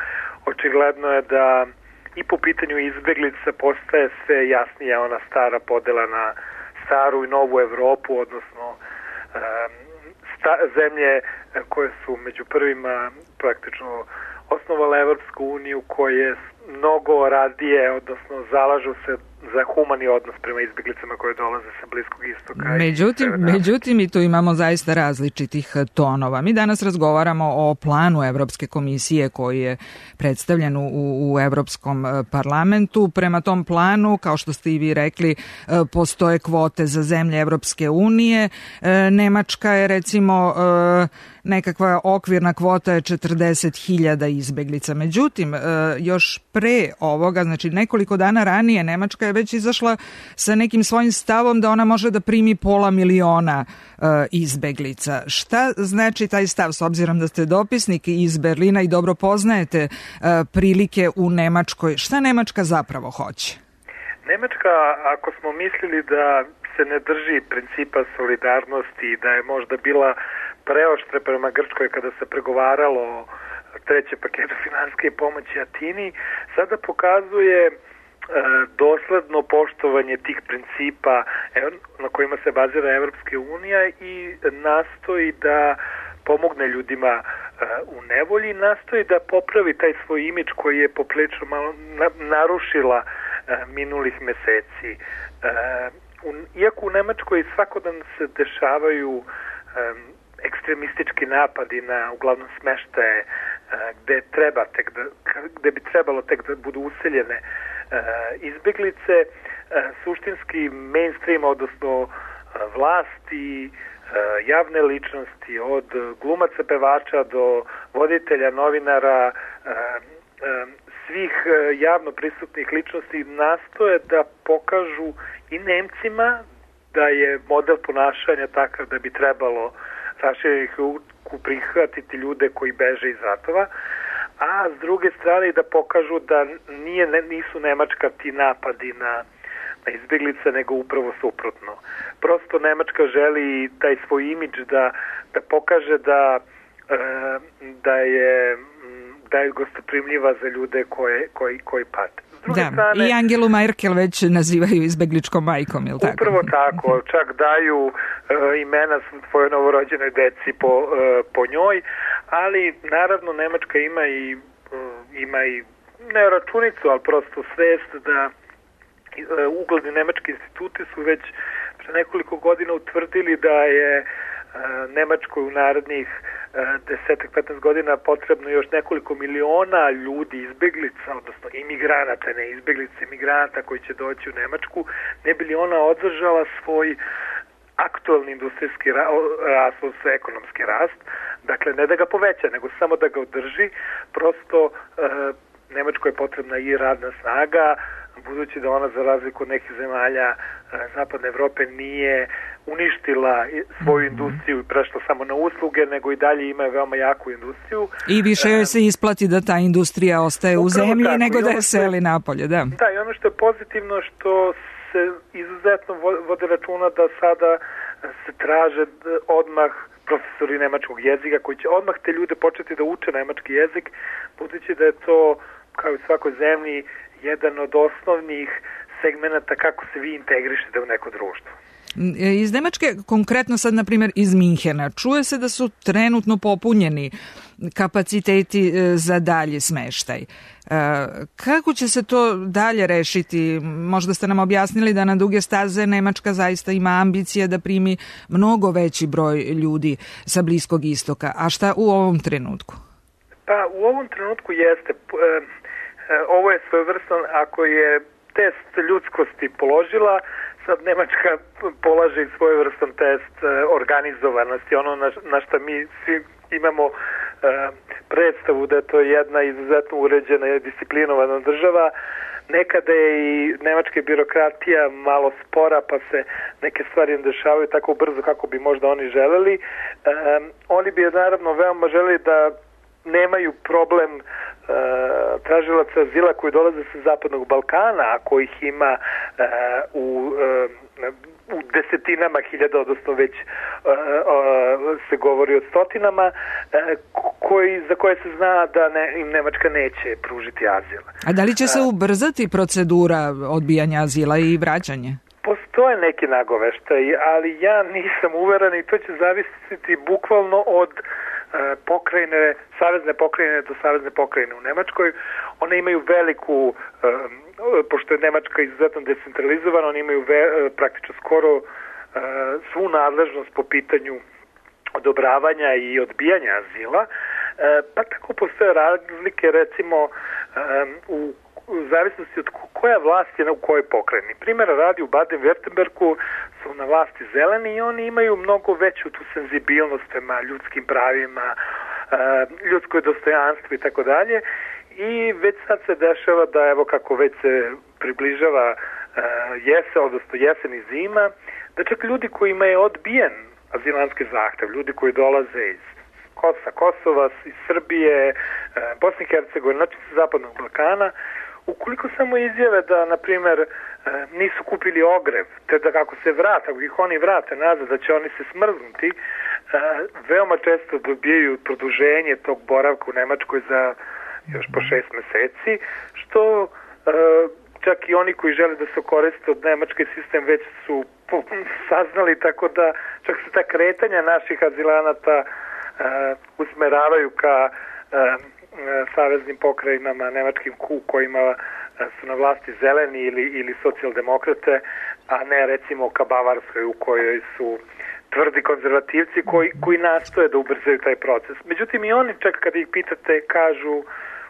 očigledno je da i po pitanju izbeglica postaje sve jasnija ona stara podela na staru i novu Evropu, odnosno sta, zemlje koje su među prvima praktično osnovale Evropsku uniju, koje mnogo radije, odnosno zalažu se za humani odnos prema izbjeglicama koje dolaze sa Bliskog istoka. Međutim, međutim i tu imamo zaista različitih tonova. Mi danas razgovaramo o planu Evropske komisije koji je predstavljen u, u Evropskom parlamentu. Prema tom planu, kao što ste i vi rekli, postoje kvote za zemlje Evropske unije. Nemačka je recimo nekakva okvirna kvota je četrdeset hiljada izbeglica. Međutim, još pre ovoga, znači nekoliko dana ranije, Nemačka je već izašla sa nekim svojim stavom da ona može da primi pola miliona uh, izbeglica. Šta znači taj stav, s obzirom da ste dopisnik iz Berlina i dobro poznajete uh, prilike u Nemačkoj? Šta Nemačka zapravo hoće? Nemačka, ako smo mislili da se ne drži principa solidarnosti i da je možda bila preoštre prema Grčkoj kada se pregovaralo o trećem paketu finansijske pomoći Atini, sada pokazuje e, dosledno poštovanje tih principa na kojima se bazira Evropska unija i nastoji da pomogne ljudima e, u nevolji, nastoji da popravi taj svoj imidž koji je poprilično malo na, narušila e, minulih meseci. E, u, iako u Nemačkoj svakodnevno se dešavaju e, ekstremistički napadi na uglavnom smeštaje gde treba tek da, gde bi trebalo tek da budu useljene izbeglice, suštinski mainstream, odnosno vlasti, javne ličnosti, od glumaca, pevača do voditelja, novinara, svih javno prisutnih ličnosti nastoje da pokažu i Nemcima da je model ponašanja takav da bi trebalo raširenih ruku prihvatiti ljude koji beže iz ratova, a s druge strane da pokažu da nije, nisu Nemačka ti napadi na, na izbjeglice, nego upravo suprotno. Prosto Nemačka želi taj svoj imidž da, da pokaže da, da je da je gostoprimljiva za ljude koje, koji, koji pate. Da, strane, i Angelu Merkel već nazivaju izbegličkom majkom, je li tako? Upravo tako, čak daju uh, imena svojoj novorođenoj deci po, uh, po njoj, ali naravno Nemačka ima i, uh, ima i ne računicu, ali prosto svest da uh, ugledni nemački instituti su već pre nekoliko godina utvrdili da je uh, Nemačkoj u narednih desetak petnaest godina potrebno još nekoliko miliona ljudi, izbeglica, odnosno imigranata, ne izbeglica, imigranata koji će doći u Nemačku, ne bi li ona održala svoj aktualni industrijski rast, svoj ekonomski rast, dakle ne da ga poveća, nego samo da ga održi, prosto e, Nemačkoj je potrebna i radna snaga, budući da ona za razliku od nekih zemalja e, Zapadne Evrope nije uništila svoju industriju i prešla samo na usluge, nego i dalje ima veoma jaku industriju. I više joj se isplati da ta industrija ostaje u zemlji tako, nego da je seli napolje, da. Da, i ono što je pozitivno što se izuzetno vode računa da sada se traže odmah profesori nemačkog jezika koji će odmah te ljude početi da uče nemački jezik, budući da je to, kao i u svakoj zemlji, jedan od osnovnih segmenata kako se vi integrišete u neko društvo. Iz Nemačke, konkretno sad, na primjer, iz Minhena, čuje se da su trenutno popunjeni kapaciteti za dalje smeštaj. Kako će se to dalje rešiti? Možda ste nam objasnili da na duge staze Nemačka zaista ima ambicije da primi mnogo veći broj ljudi sa Bliskog istoka. A šta u ovom trenutku? Pa, u ovom trenutku jeste. Ovo je svojevrstan, ako je test ljudskosti položila, sad Nemačka polaže i svojevrstan test organizovanosti, ono na, na što mi svi imamo uh, predstavu da je to jedna izuzetno uređena i disciplinovana država. Nekada je i nemačka birokratija malo spora, pa se neke stvari ne dešavaju tako brzo kako bi možda oni želeli. Um, oni bi naravno veoma želeli da nemaju problem uh, tražilaca azila koji dolaze sa Zapadnog Balkana, a kojih ima uh, u, uh, u desetinama hiljada, odnosno već uh, uh, se govori o stotinama, uh, koji, za koje se zna da ne, im Nemačka neće pružiti azil. A da li će se ubrzati procedura odbijanja azila i vraćanje? Postoje neki nagoveštaj, ali ja nisam uveren i to će zavisiti bukvalno od pokrajine, savezne pokrajine do savezne pokrajine u Nemačkoj. One imaju veliku, pošto je Nemačka izuzetno decentralizovana, oni imaju ve, praktično skoro svu nadležnost po pitanju odobravanja i odbijanja azila, pa tako postoje razlike recimo u u zavisnosti od koja vlast je u kojoj pokrajini. Primjera radi u Baden-Württembergu su na vlasti zeleni i oni imaju mnogo veću tu senzibilnost prema ljudskim pravima, ljudskoj dostojanstvu i tako dalje. I već sad se dešava da evo kako već se približava jesen, odnosno jesen i zima, da čak ljudi kojima je odbijen azilanski zahtev, ljudi koji dolaze iz Kosa, Kosova, iz Srbije, Bosne i Hercegovine, znači sa Zapadnog Balkana, ukoliko samo izjave da, na primjer, nisu kupili ogrev, te da kako se vrate, ako ih oni vrate nazad, da će oni se smrznuti, veoma često dobijaju produženje tog boravka u Nemačkoj za još po šest meseci, što čak i oni koji žele da se koriste od Nemačke sistem već su saznali, tako da čak se ta kretanja naših azilanata usmeravaju ka saveznim pokrajinama, nemačkim ku kojima su na vlasti zeleni ili, ili socijaldemokrate, a ne recimo ka Bavarskoj u kojoj su tvrdi konzervativci koji, koji nastoje da ubrzaju taj proces. Međutim i oni čak kada ih pitate kažu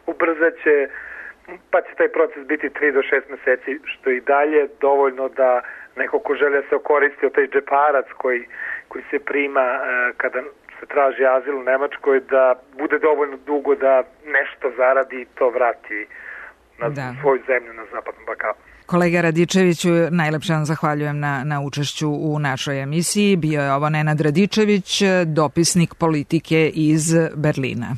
ubrzat će, pa će taj proces biti tri do šest meseci, što i dalje dovoljno da neko ko želi da se okoristi od taj džeparac koji, koji se prima e, kada se traži azil u Nemačkoj, da bude dovoljno dugo da nešto zaradi i to vrati na da. svoju zemlju na Zapadnom Balkanu. Kolega Radičeviću, najlepše vam zahvaljujem na, na učešću u našoj emisiji. Bio je ovo Nenad Radičević, dopisnik politike iz Berlina.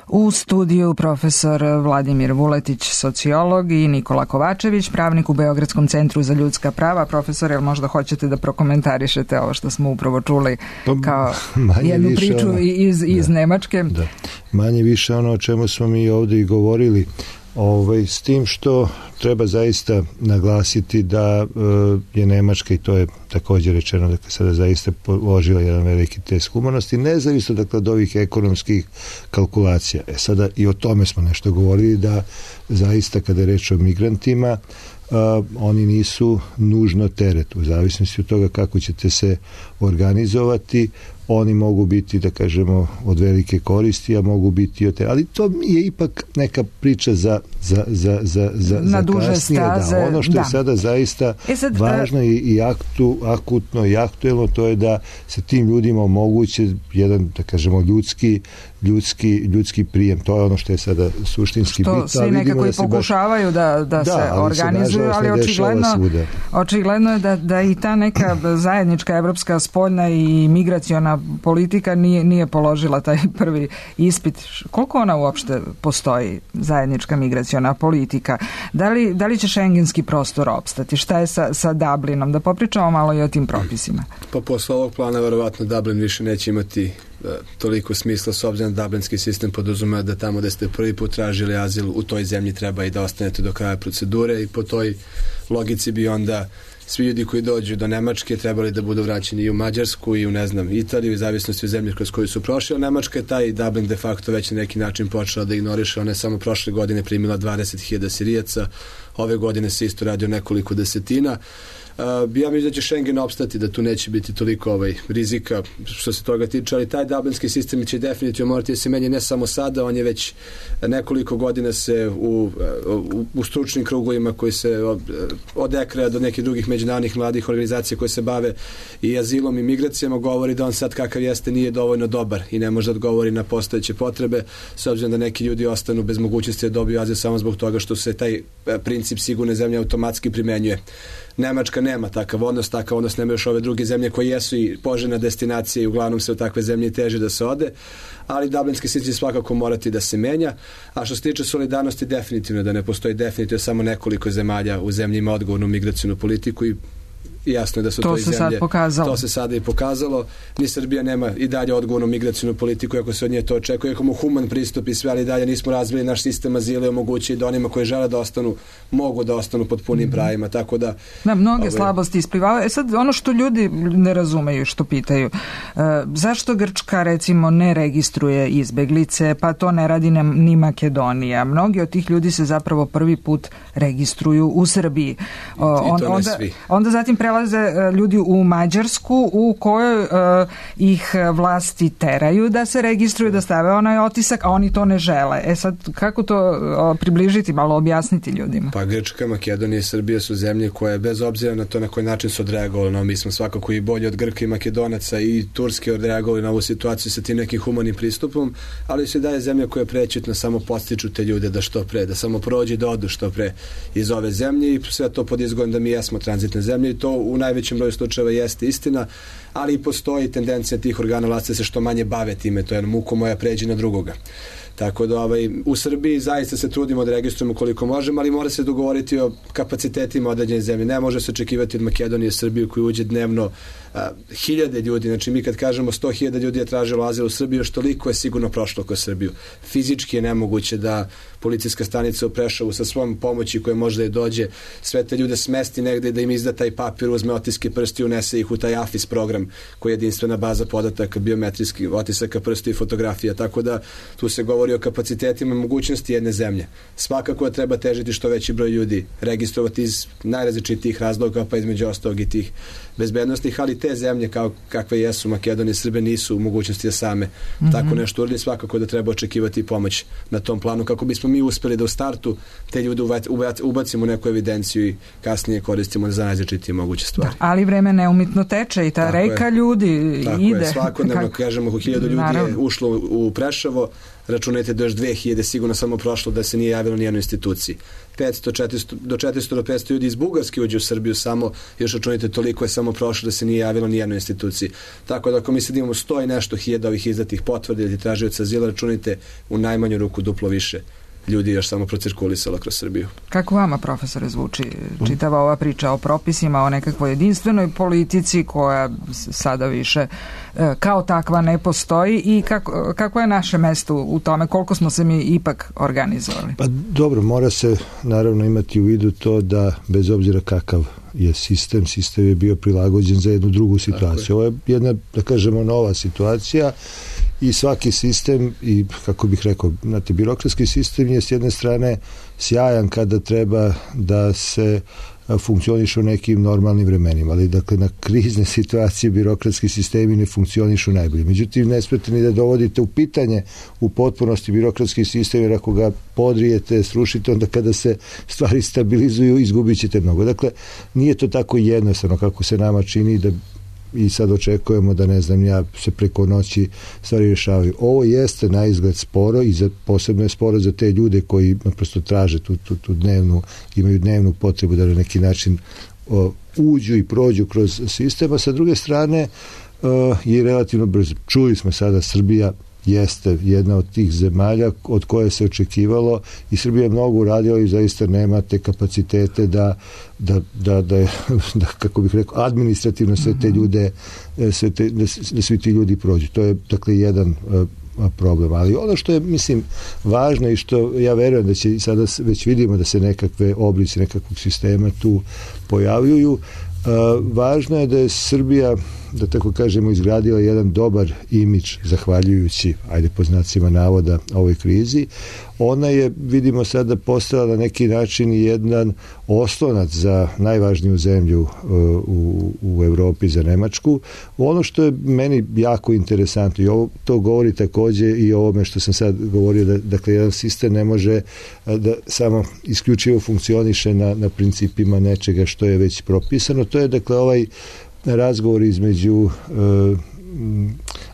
U studiju profesor Vladimir Vuletić, sociolog, i Nikola Kovačević, pravnik u Beogradskom centru za ljudska prava. Profesor, jel možda hoćete da prokomentarišete ovo što smo upravo čuli kao jednu priču ono, iz, iz da, Nemačke? Da. Manje više ono o čemu smo mi ovdje i govorili, ovaj, s tim što treba zaista naglasiti da e, je Nemačka, i to je također rečeno, dakle sada zaista položila jedan veliki test humanosti, nezavisno dakle od ovih ekonomskih kalkulacija. E sada i o tome smo nešto govorili, da zaista kada je reč o migrantima, Uh, oni nisu nužno teret, u zavisnosti od toga kako ćete se organizovati, oni mogu biti, da kažemo, od velike koristi, a mogu biti od te, ali to je ipak neka priča za, za, za, za, za, na za duže kasnije, staze, da, ono što da. je sada zaista e sad, važno i, i aktu, akutno i aktuelno, to je da se tim ljudima omoguće jedan, da kažemo, ljudski ljudski, ljudski prijem. To je ono što je sada suštinski bitno. Što svi nekako i pokušavaju da, da, da se ali organizuju, se, ali očigledno, očigledno je da, da i ta neka zajednička evropska spoljna i migraciona politika nije, nije položila taj prvi ispit. Koliko ona uopšte postoji, zajednička migraciona politika? Da li, da li će šengenski prostor opstati? Šta je sa, sa Dublinom? Da popričamo malo i o tim propisima. Pa posle ovog plana verovatno Dublin više neće imati da, toliko smisla, s obzirom da dublinski sistem podrazumeva da tamo da ste prvi put tražili azil u toj zemlji treba i da ostanete do kraja procedure, i po toj logici bi onda svi ljudi koji dođu do Nemačke trebali da budu vraćeni i u Mađarsku i u, ne znam, Italiju, u zavisnosti od zemlje kroz koju su prošli, a Nemačka je taj Dublin de facto već na neki način počela da ignoriše. Ona je samo prošle godine primila dvadeset hiljada Sirijaca, ove godine se isto radi o nekoliko desetina. Uh, ja mislim da će Schengen opstati, da tu neće biti toliko ovaj, rizika što se toga tiče, ali taj dublinski sistem će definitivno morati da se menja ne samo sada, on je već nekoliko godina se u, u, u stručnim krugovima koji se od, od E K R A do nekih drugih međunarodnih mladih organizacija koje se bave i azilom i migracijama govori da on sad kakav jeste nije dovoljno dobar i ne može da odgovori na postojeće potrebe, s obzirom da neki ljudi ostanu bez mogućnosti da dobiju azil samo zbog toga što se taj princip sigurne zemlje automatski primenjuje. Nemačka nema takav odnos, takav odnos nema još ove druge zemlje koje jesu i poželjna destinacija i uglavnom se u takve zemlje teže da se ode, ali dublinski sistem svakako morati da se menja. A što se tiče solidarnosti, definitivno da ne postoji definitivno samo nekoliko zemalja u zemlji ima odgovornu migracijnu politiku i jasno je da su to, to i zemlje. To se sada i pokazalo. Ni Srbija nema i dalje odgovornu migracijnu politiku, ako se od nje to očekuje, ako mu human pristup i sve, ali dalje nismo razvili naš sistem azila i omogući da onima koji žele da ostanu, mogu da ostanu pod punim pravima, tako da... Da, mnoge ove... slabosti isplivavaju. E sad, ono što ljudi ne razumeju, što pitaju, uh, zašto Grčka, recimo, ne registruje izbeglice, pa to ne radi ni Makedonija? Mnogi od tih ljudi se zapravo prvi put registruju u Srbiji. Uh, on, onda, onda zatim prelaze ljudi u Mađarsku u kojoj uh, ih vlasti teraju da se registruju, da stave onaj otisak, a oni to ne žele. E sad, kako to uh, približiti, malo objasniti ljudima? Pa Grčka, Makedonija i Srbija su zemlje koje, bez obzira na to na koji način su odreagovali, no mi smo svakako i bolji od Grka i Makedonaca i Turske odreagovali na ovu situaciju sa tim nekim humanim pristupom, ali se daje zemlja koja prećutno samo podstiču te ljude da što pre, da samo prođe da odu što pre iz ove zemlje i sve to pod izgovorom da mi jesmo tranzitne zemlje i to u najvećem broju slučajeva jeste istina, ali i postoji tendencija tih organa vlasti da se što manje bave time, to je muko moja pređi na drugoga. Tako da ovaj, u Srbiji zaista se trudimo da registrujemo koliko možemo, ali mora se dogovoriti o kapacitetima određene zemlje. Ne može se očekivati od Makedonije i Srbije koji uđe dnevno a, hiljade ljudi. Znači mi kad kažemo sto hiljada ljudi je tražilo azil u Srbiji, još toliko je sigurno prošlo kroz Srbiju. Fizički je nemoguće da policijska stanica u Prešovu sa svom pomoći koja može da je dođe sve te ljude smesti negde, da im izda taj papir, uzme otiske prsti i unese ih u taj A F I S program koji je jedinstvena baza podataka biometrijskih otisaka prsti i fotografija. Tako da tu se govori govori o kapacitetima i mogućnosti jedne zemlje. Svakako da treba težiti što veći broj ljudi, registrovati iz najrazličitijih razloga, pa između ostalog i tih bezbednostnih, ali te zemlje kao kakve jesu Makedonija i Srbija nisu u mogućnosti da same mm-hmm. tako nešto uradi. Svakako da treba očekivati pomoć na tom planu kako bismo mi uspeli da u startu te ljude ubacimo u neku evidenciju i kasnije koristimo za najrazličitije moguće stvari. Da, ali vreme neumitno teče i ta tako reka je. Ljudi tako ide. Je, svakodnevno, Kak... kažemo, oko hiljadu ljudi Naravno. Je ušlo u Preševo, računajte da još dve hiljade sigurno samo prošlo da se nije javilo nijednoj instituciji. petsto, četiristo, do četiristo do petsto ljudi iz Bugarske uđe u Srbiju samo, još računajte toliko je samo prošlo da se nije javilo nijednoj instituciji. Tako da ako mi sad imamo sto i nešto hiljada ovih izdatih potvrda ili tražioca azila, računajte u najmanju ruku duplo više ljudi još samo procirkulisalo kroz Srbiju. Kako vama, profesore, zvuči čitava ova priča o propisima, o nekakvoj jedinstvenoj politici koja sada više kao takva ne postoji i kako, kako je naše mesto u tome, koliko smo se mi ipak organizovali? Pa dobro, mora se naravno imati u vidu to da bez obzira kakav je sistem, sistem je bio prilagođen za jednu drugu situaciju. Ovo je jedna, da kažemo, nova situacija i svaki sistem i, kako bih rekao, znate, birokratski sistem je s jedne strane sjajan kada treba da se funkcionišu u nekim normalnim vremenima, ali dakle na krizne situacije birokratski sistemi ne funkcionišu najbolje. Međutim, ne smete ni da dovodite u pitanje u potpunosti birokratski sistem, jer ako ga podrijete, srušite, onda kada se stvari stabilizuju, izgubit ćete mnogo. Dakle, nije to tako jednostavno kako se nama čini da i sad očekujemo da, ne znam, ja se preko noći stvari rješavaju. Ovo jeste na izgled sporo i za, posebno je sporo za te ljude koji naprosto traže tu, tu, tu dnevnu, imaju dnevnu potrebu da na neki način o, uđu i prođu kroz sistem, a sa druge strane o, je relativno brzo. Čuli smo sada, Srbija jeste jedna od tih zemalja od koje se očekivalo i Srbija je mnogo uradila i zaista nema te kapacitete da, da, da, da, da kako bih rekao, administrativno sve te ljude, sve te, da, da svi ti ljudi prođu. To je, dakle, jedan problem. Ali ono što je, mislim, važno i što ja verujem da će sada već vidimo da se nekakve oblici nekakvog sistema tu pojavljuju, Uh, važno je da je Srbija, da tako kažemo, izgradila jedan dobar imidž zahvaljujući, ajde po znacima navoda, ovoj krizi. Ona je, vidimo sada, postala na neki način jedan oslonac za najvažniju zemlju uh, u, u Evropi, za Nemačku. Ono što je meni jako interesantno i ovo, to govori također i o ovome što sam sad govorio, da dakle jedan sistem ne može uh, da samo isključivo funkcioniše na, na principima nečega što je već propisano. To je, dakle, ovaj razgovor između uh,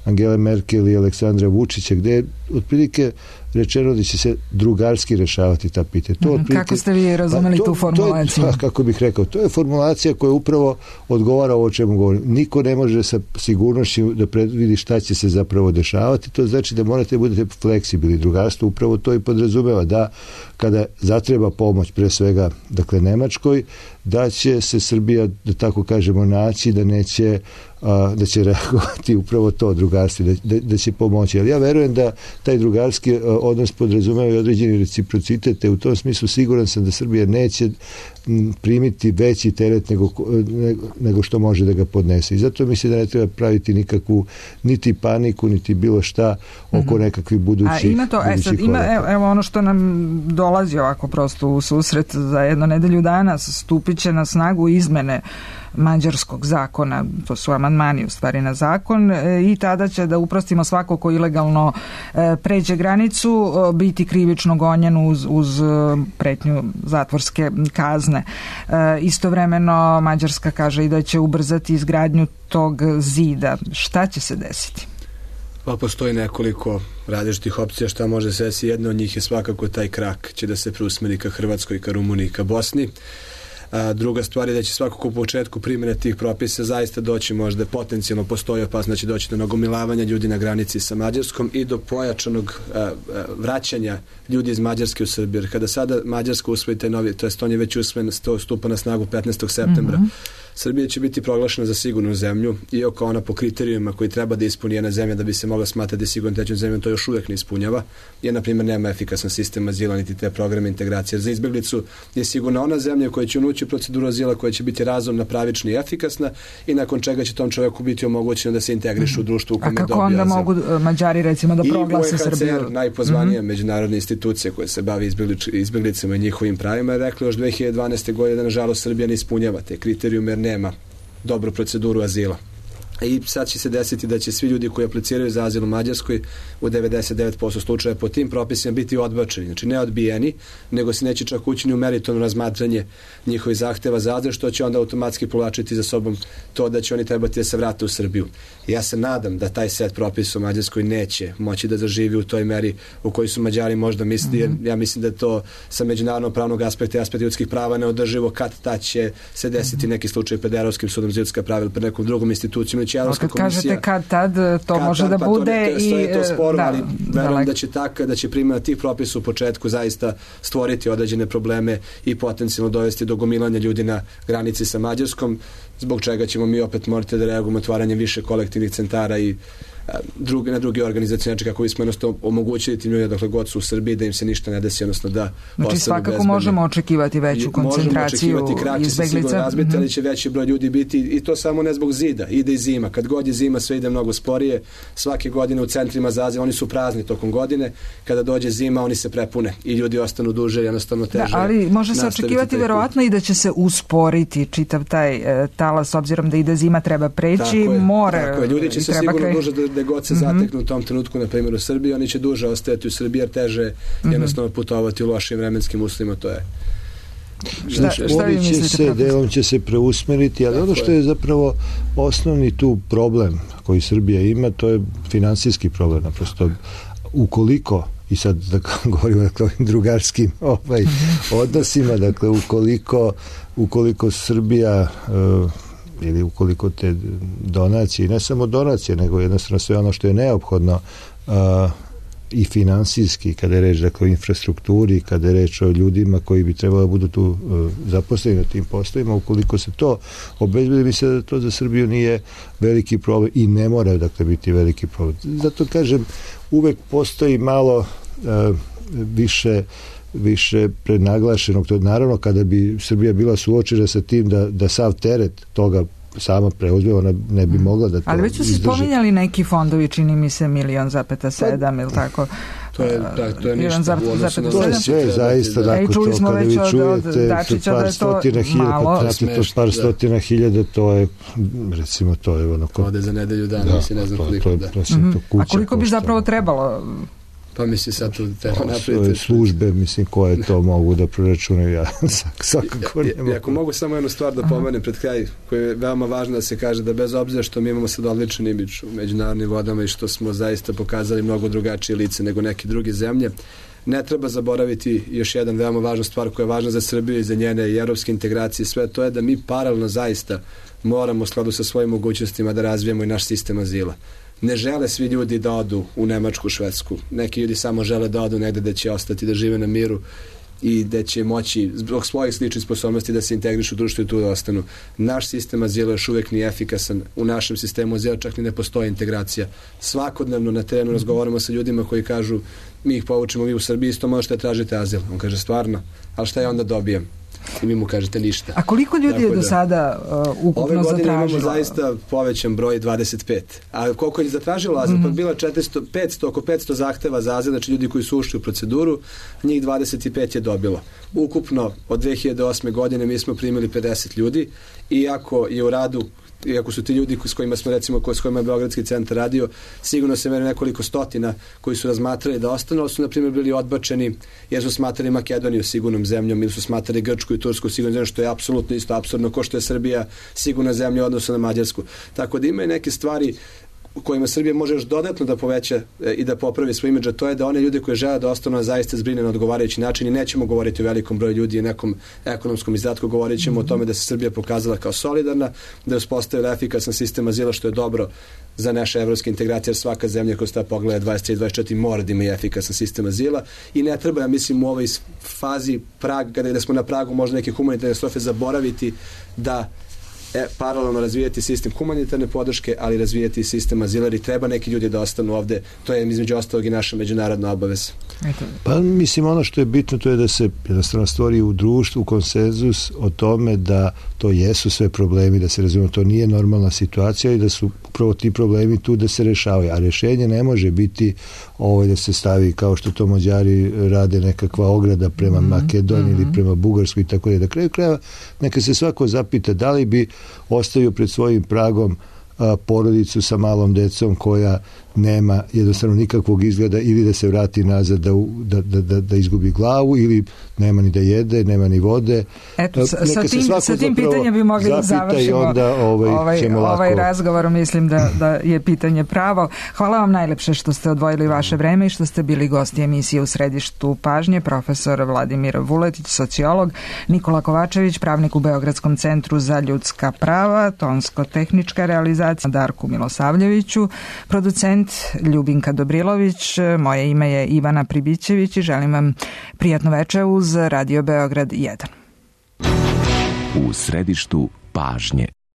Angele Merkel i Aleksandra Vučića, gde je otprilike rečeno da će se drugarski rešavati ta pitanja. To mm, kako ste vi razumeli to, tu formulaciju? To je, kako bih rekao, to je formulacija koja upravo odgovara ovo o čemu govorim. Niko ne može sa sigurnošću da predvidi šta će se zapravo dešavati. To znači da morate budete fleksibilni. Drugarstvo upravo to i podrazumeva, da kada zatreba pomoć, pre svega, dakle, Nemačkoj, da će se Srbija, da tako kažemo, naći, da neće a, da će reagovati upravo to drugarstvo, da, da, da će pomoći. Ali ja verujem da taj drugarski a, odnos podrazumeva i određeni reciprocitet, te u tom smislu siguran sam da Srbija neće m, primiti veći teret nego, nego, nego što može da ga podnese. I zato mislim da ne treba praviti nikakvu niti paniku, niti bilo šta oko nekakvih budućih. A ima to, e sad, ima, evo, evo ono što nam dolazi ovako prosto u susret za jedno nedelju dana, stupit će na snagu izmene mađarskog zakona, to su amandmani u stvari na zakon, i tada će, da uprostimo, svako ko ilegalno pređe granicu biti krivično gonjen uz, uz pretnju zatvorske kazne. Istovremeno Mađarska kaže i da će ubrzati izgradnju tog zida. Šta će se desiti? Pa postoji nekoliko različitih opcija šta može se desiti. Jedna od njih je svakako taj krak će da se preusmeri ka Hrvatskoj, ka Rumuniji, ka Bosni. A druga stvar je da će svakako u početku primjene tih propisa zaista doći, možda potencijalno postoji opasnost da će doći do nagomilavanja ljudi na granici sa Mađarskom i do pojačanog a, a, vraćanja ljudi iz Mađarske u Srbiju. Jer kada sada Mađarska usvoji taj novi, to jest on je već usvojen, stupa na snagu petnaestog septembra. Mm-hmm. Srbija će biti proglašena za sigurnu zemlju, iako ona po kriterijima koji treba da ispuni jedna zemlja da bi se mogla smatrati sigurnom trećom zemljom, to još uvijek ne ispunjava, jer na primjer nema efikasan sistem azila niti te programe integracije. Za izbjeglicu je sigurna ona zemlja koja će unući proceduru azila, koja će biti razumna, pravična i efikasna i nakon čega će tom čovjeku biti omogućeno da se integriše u društvu u kome dobije azil. A kako onda mogu Mađari recimo da proglase Srbiju? I U N H C R, najpozvanija mm-hmm. međunarodna institucija koja se bavi izbjeglicama i njihovim pravima, je rekla još dve hiljade dvanaeste. godine da nažalost Srbija ne ispunjava te kriterijume jer nema dobru proceduru azila. I sad će se desiti da će svi ljudi koji apliciraju za azil u Mađarskoj u devedeset devet posto slučaja po tim propisima biti odbačeni, znači ne odbijeni, nego se neće čak ući ni u meritorno razmatranje njihovih zahteva za azil, što će onda automatski povlačiti za sobom to da će oni trebati da se vrate u Srbiju. Ja se nadam da taj set propisa u Mađarskoj neće moći da zaživi u toj meri u kojoj su Mađari možda mislili, jer ja mislim da to sa međunarodnog pravnog aspekta i aspekta ljudskih prava neodrživo, kad ta će se desiti neki slučaj pred Evropskim sudom za ljudska prava ili pred nekom drugom institucijom. Kad kažete kad tad, to kad može tad, da pa bude to, i... To je to sporno, da, ali verujem da će tako, da će primjena tih propisa u početku zaista stvoriti određene probleme i potencijalno dovesti do gomilanja ljudi na granici sa Mađarskom, zbog čega ćemo mi opet morati da reagujemo otvaranjem više kolektivnih centara i drugi, na drugi organizacije, znači kako bismo jednostavno omogućili tim ljudima dokle god su u Srbiji da im se ništa ne desi, odnosno da znači svakako bezbedni. Možemo očekivati veću koncentraciju izbeglica, razbiti, mm-hmm. ali će veći broj ljudi biti i to samo ne zbog zida, ide i zima, kad god je zima sve ide mnogo sporije, svake godine u centrima za azil oni su prazni tokom godine, kada dođe zima oni se prepune i ljudi ostanu duže, jednostavno teže. Da, ali može se očekivati verovatno i da će se usporiti čitav taj e, talas, obzirom da ide zima, treba preći, je, more ljudi će se sigurno kre... duže da, da god se mm-hmm. zateknu u tom trenutku, na primjer u Srbiji, oni će duže ostajati u Srbiji jer teže mm-hmm. jednostavno putovati u lošim vremenskim uslovima, to je. Šta, šta vi mislite? Se, delom će se preusmeriti, ali ono što je zapravo osnovni tu problem koji Srbija ima, to je finansijski problem, naprosto ukoliko, i sad da govorimo dakle, o ovim drugarskim ovaj, odnosima, dakle ukoliko, ukoliko Srbija uh, ili ukoliko te donacije, ne samo donacije, nego jednostavno sve ono što je neophodno uh, i finansijski, kada je reč dakle, o infrastrukturi, kada je reč o ljudima koji bi trebalo da budu tu uh, zaposleni na tim poslovima, ukoliko se to obezbedi, mislim da to za Srbiju nije veliki problem i ne mora dakle biti veliki problem. Zato kažem, uvek postoji malo uh, više više prenaglašenog, to naravno kada bi Srbija bila suočena sa tim da, da sav teret toga sama preuzme, ona ne bi mogla da to ali već su se spominjali neki fondovi, čini mi se milion zapeta sedam ili tako. To je, da, to je ništa. To je sve zaista dakle, to kada vi čujete par stotina hiljada, kad trati to par stotina hiljada, to je recimo to je ono ode za nedelju dana, mislim ne znam koliko da. A koliko bi zapravo trebalo? Pa misli sad tu te napravite službe, mislim, koje to mogu da proračunaju, ja svakako ne mogu. Ako mogu samo jednu stvar da pomenem pred kraj, koja je veoma važno da se kaže, da bez obzira što mi imamo sad odličan imidž u međunarodnim vodama i što smo zaista pokazali mnogo drugačije lice nego neke druge zemlje, ne treba zaboraviti još jedan veoma važna stvar koja je važna za Srbiju i za njene i evropske integracije, sve to je da mi paralelno zaista moramo u skladu sa svojim mogućnostima da razvijemo i naš sistem azila. Ne žele svi ljudi da odu u Nemačku, Švedsku. Neki ljudi samo žele da odu negde da će ostati, da žive na miru i da će moći zbog svojih sličnih sposobnosti da se integrišu u društvu i tu da ostanu. Naš sistem azila još uvijek nije efikasan. U našem sistemu azila čak ni ne postoji integracija. Svakodnevno na terenu razgovaramo sa ljudima koji kažu mi ih povučemo, vi u Srbiji isto možete tražiti azil. On kaže stvarno, ali šta ja onda dobijem? I mi mu kažete ništa. A koliko ljudi je do sada uh, ukupno zatražilo? Ove godine imamo zaista povećan broj dvadeset pet. A koliko je zatražilo azil? Mm-hmm. Pa bila četiristo, petsto, oko petsto zahteva za azil, znači ljudi koji su ušli u proceduru, njih dvadeset pet je dobilo. Ukupno od dve hiljade osme godine mi smo primili pedeset ljudi, iako je u radu iako su ti ljudi s kojima smo recimo s kojima je Beogradski centar radio, sigurno se meri nekoliko stotina koji su razmatrali da ostanu, ali su na primjer bili odbačeni jer su smatrali Makedoniju sigurnom zemljom ili su smatrali Grčku i Tursku sigurnom zemljom, što je apsolutno isto apsurdno, ko što je Srbija sigurna zemlja u odnosu na Mađarsku. Tako da ima i neke stvari u kojima Srbija može još dodatno da poveća i da popravi svoj imidž, to je da one ljude koje žele da ostanu zaista zbrine na odgovarajući način i nećemo govoriti o velikom broju ljudi i nekom ekonomskom izdatku, govorit ćemo mm-hmm. o tome da se Srbija pokazala kao solidarna, da je uspostavila efikasan sistem azila, što je dobro za naše evropske integracije, jer svaka zemlja koja sta pogleda dvadeset tri dvadeset četiri mora da ima efikasan sistem azila i ne treba, ja mislim, u ovoj fazi praga, kada smo na pragu možda neke humanitarne katastrofe, zaboraviti da e, paralelno razvijati sistem humanitarne podrške, ali razvijati sistem azila, i treba neki ljudi da ostanu ovde. To je između ostalog i naša međunarodna obaveza. Pa mislim, ono što je bitno to je da se jednostavno stvori u društvu konsenzus o tome da to jesu sve problemi, da se razumije, to nije normalna situacija i da su upravo ti problemi tu da se rešavaju, a rešenje ne može biti ovo da se stavi kao što to Mađari rade, nekakva ograda prema mm-hmm. Makedoniji mm-hmm. ili prema Bugarskoj i tako da. Na kraju krajeva neka se svako zapita da li bi ostavio pred svojim pragom a, porodicu sa malom decom koja nema jednostavno nikakvog izgleda, ili da se vrati nazad da, da, da, da, da izgubi glavu, ili nema ni da jede, nema ni vode. Eto, sa, sa tim, sa tim pitanjem bi mogli da završimo onda, ovaj, ovaj, ovaj razgovor. Mislim da, da je pitanje pravo. Hvala vam najlepše što ste odvojili vaše vreme i što ste bili gosti emisije U središtu pažnje. Profesor Vladimir Vuletić, sociolog, Nikola Kovačević, pravnik u Beogradskom centru za ljudska prava, tonsko-tehnička realizacija Darku Milosavljeviću, producent Ljubinka Dobrilović, moje ime je Ivana Pribićević i želim vam prijatno veče uz Radio Beograd jedan. U središtu pažnje.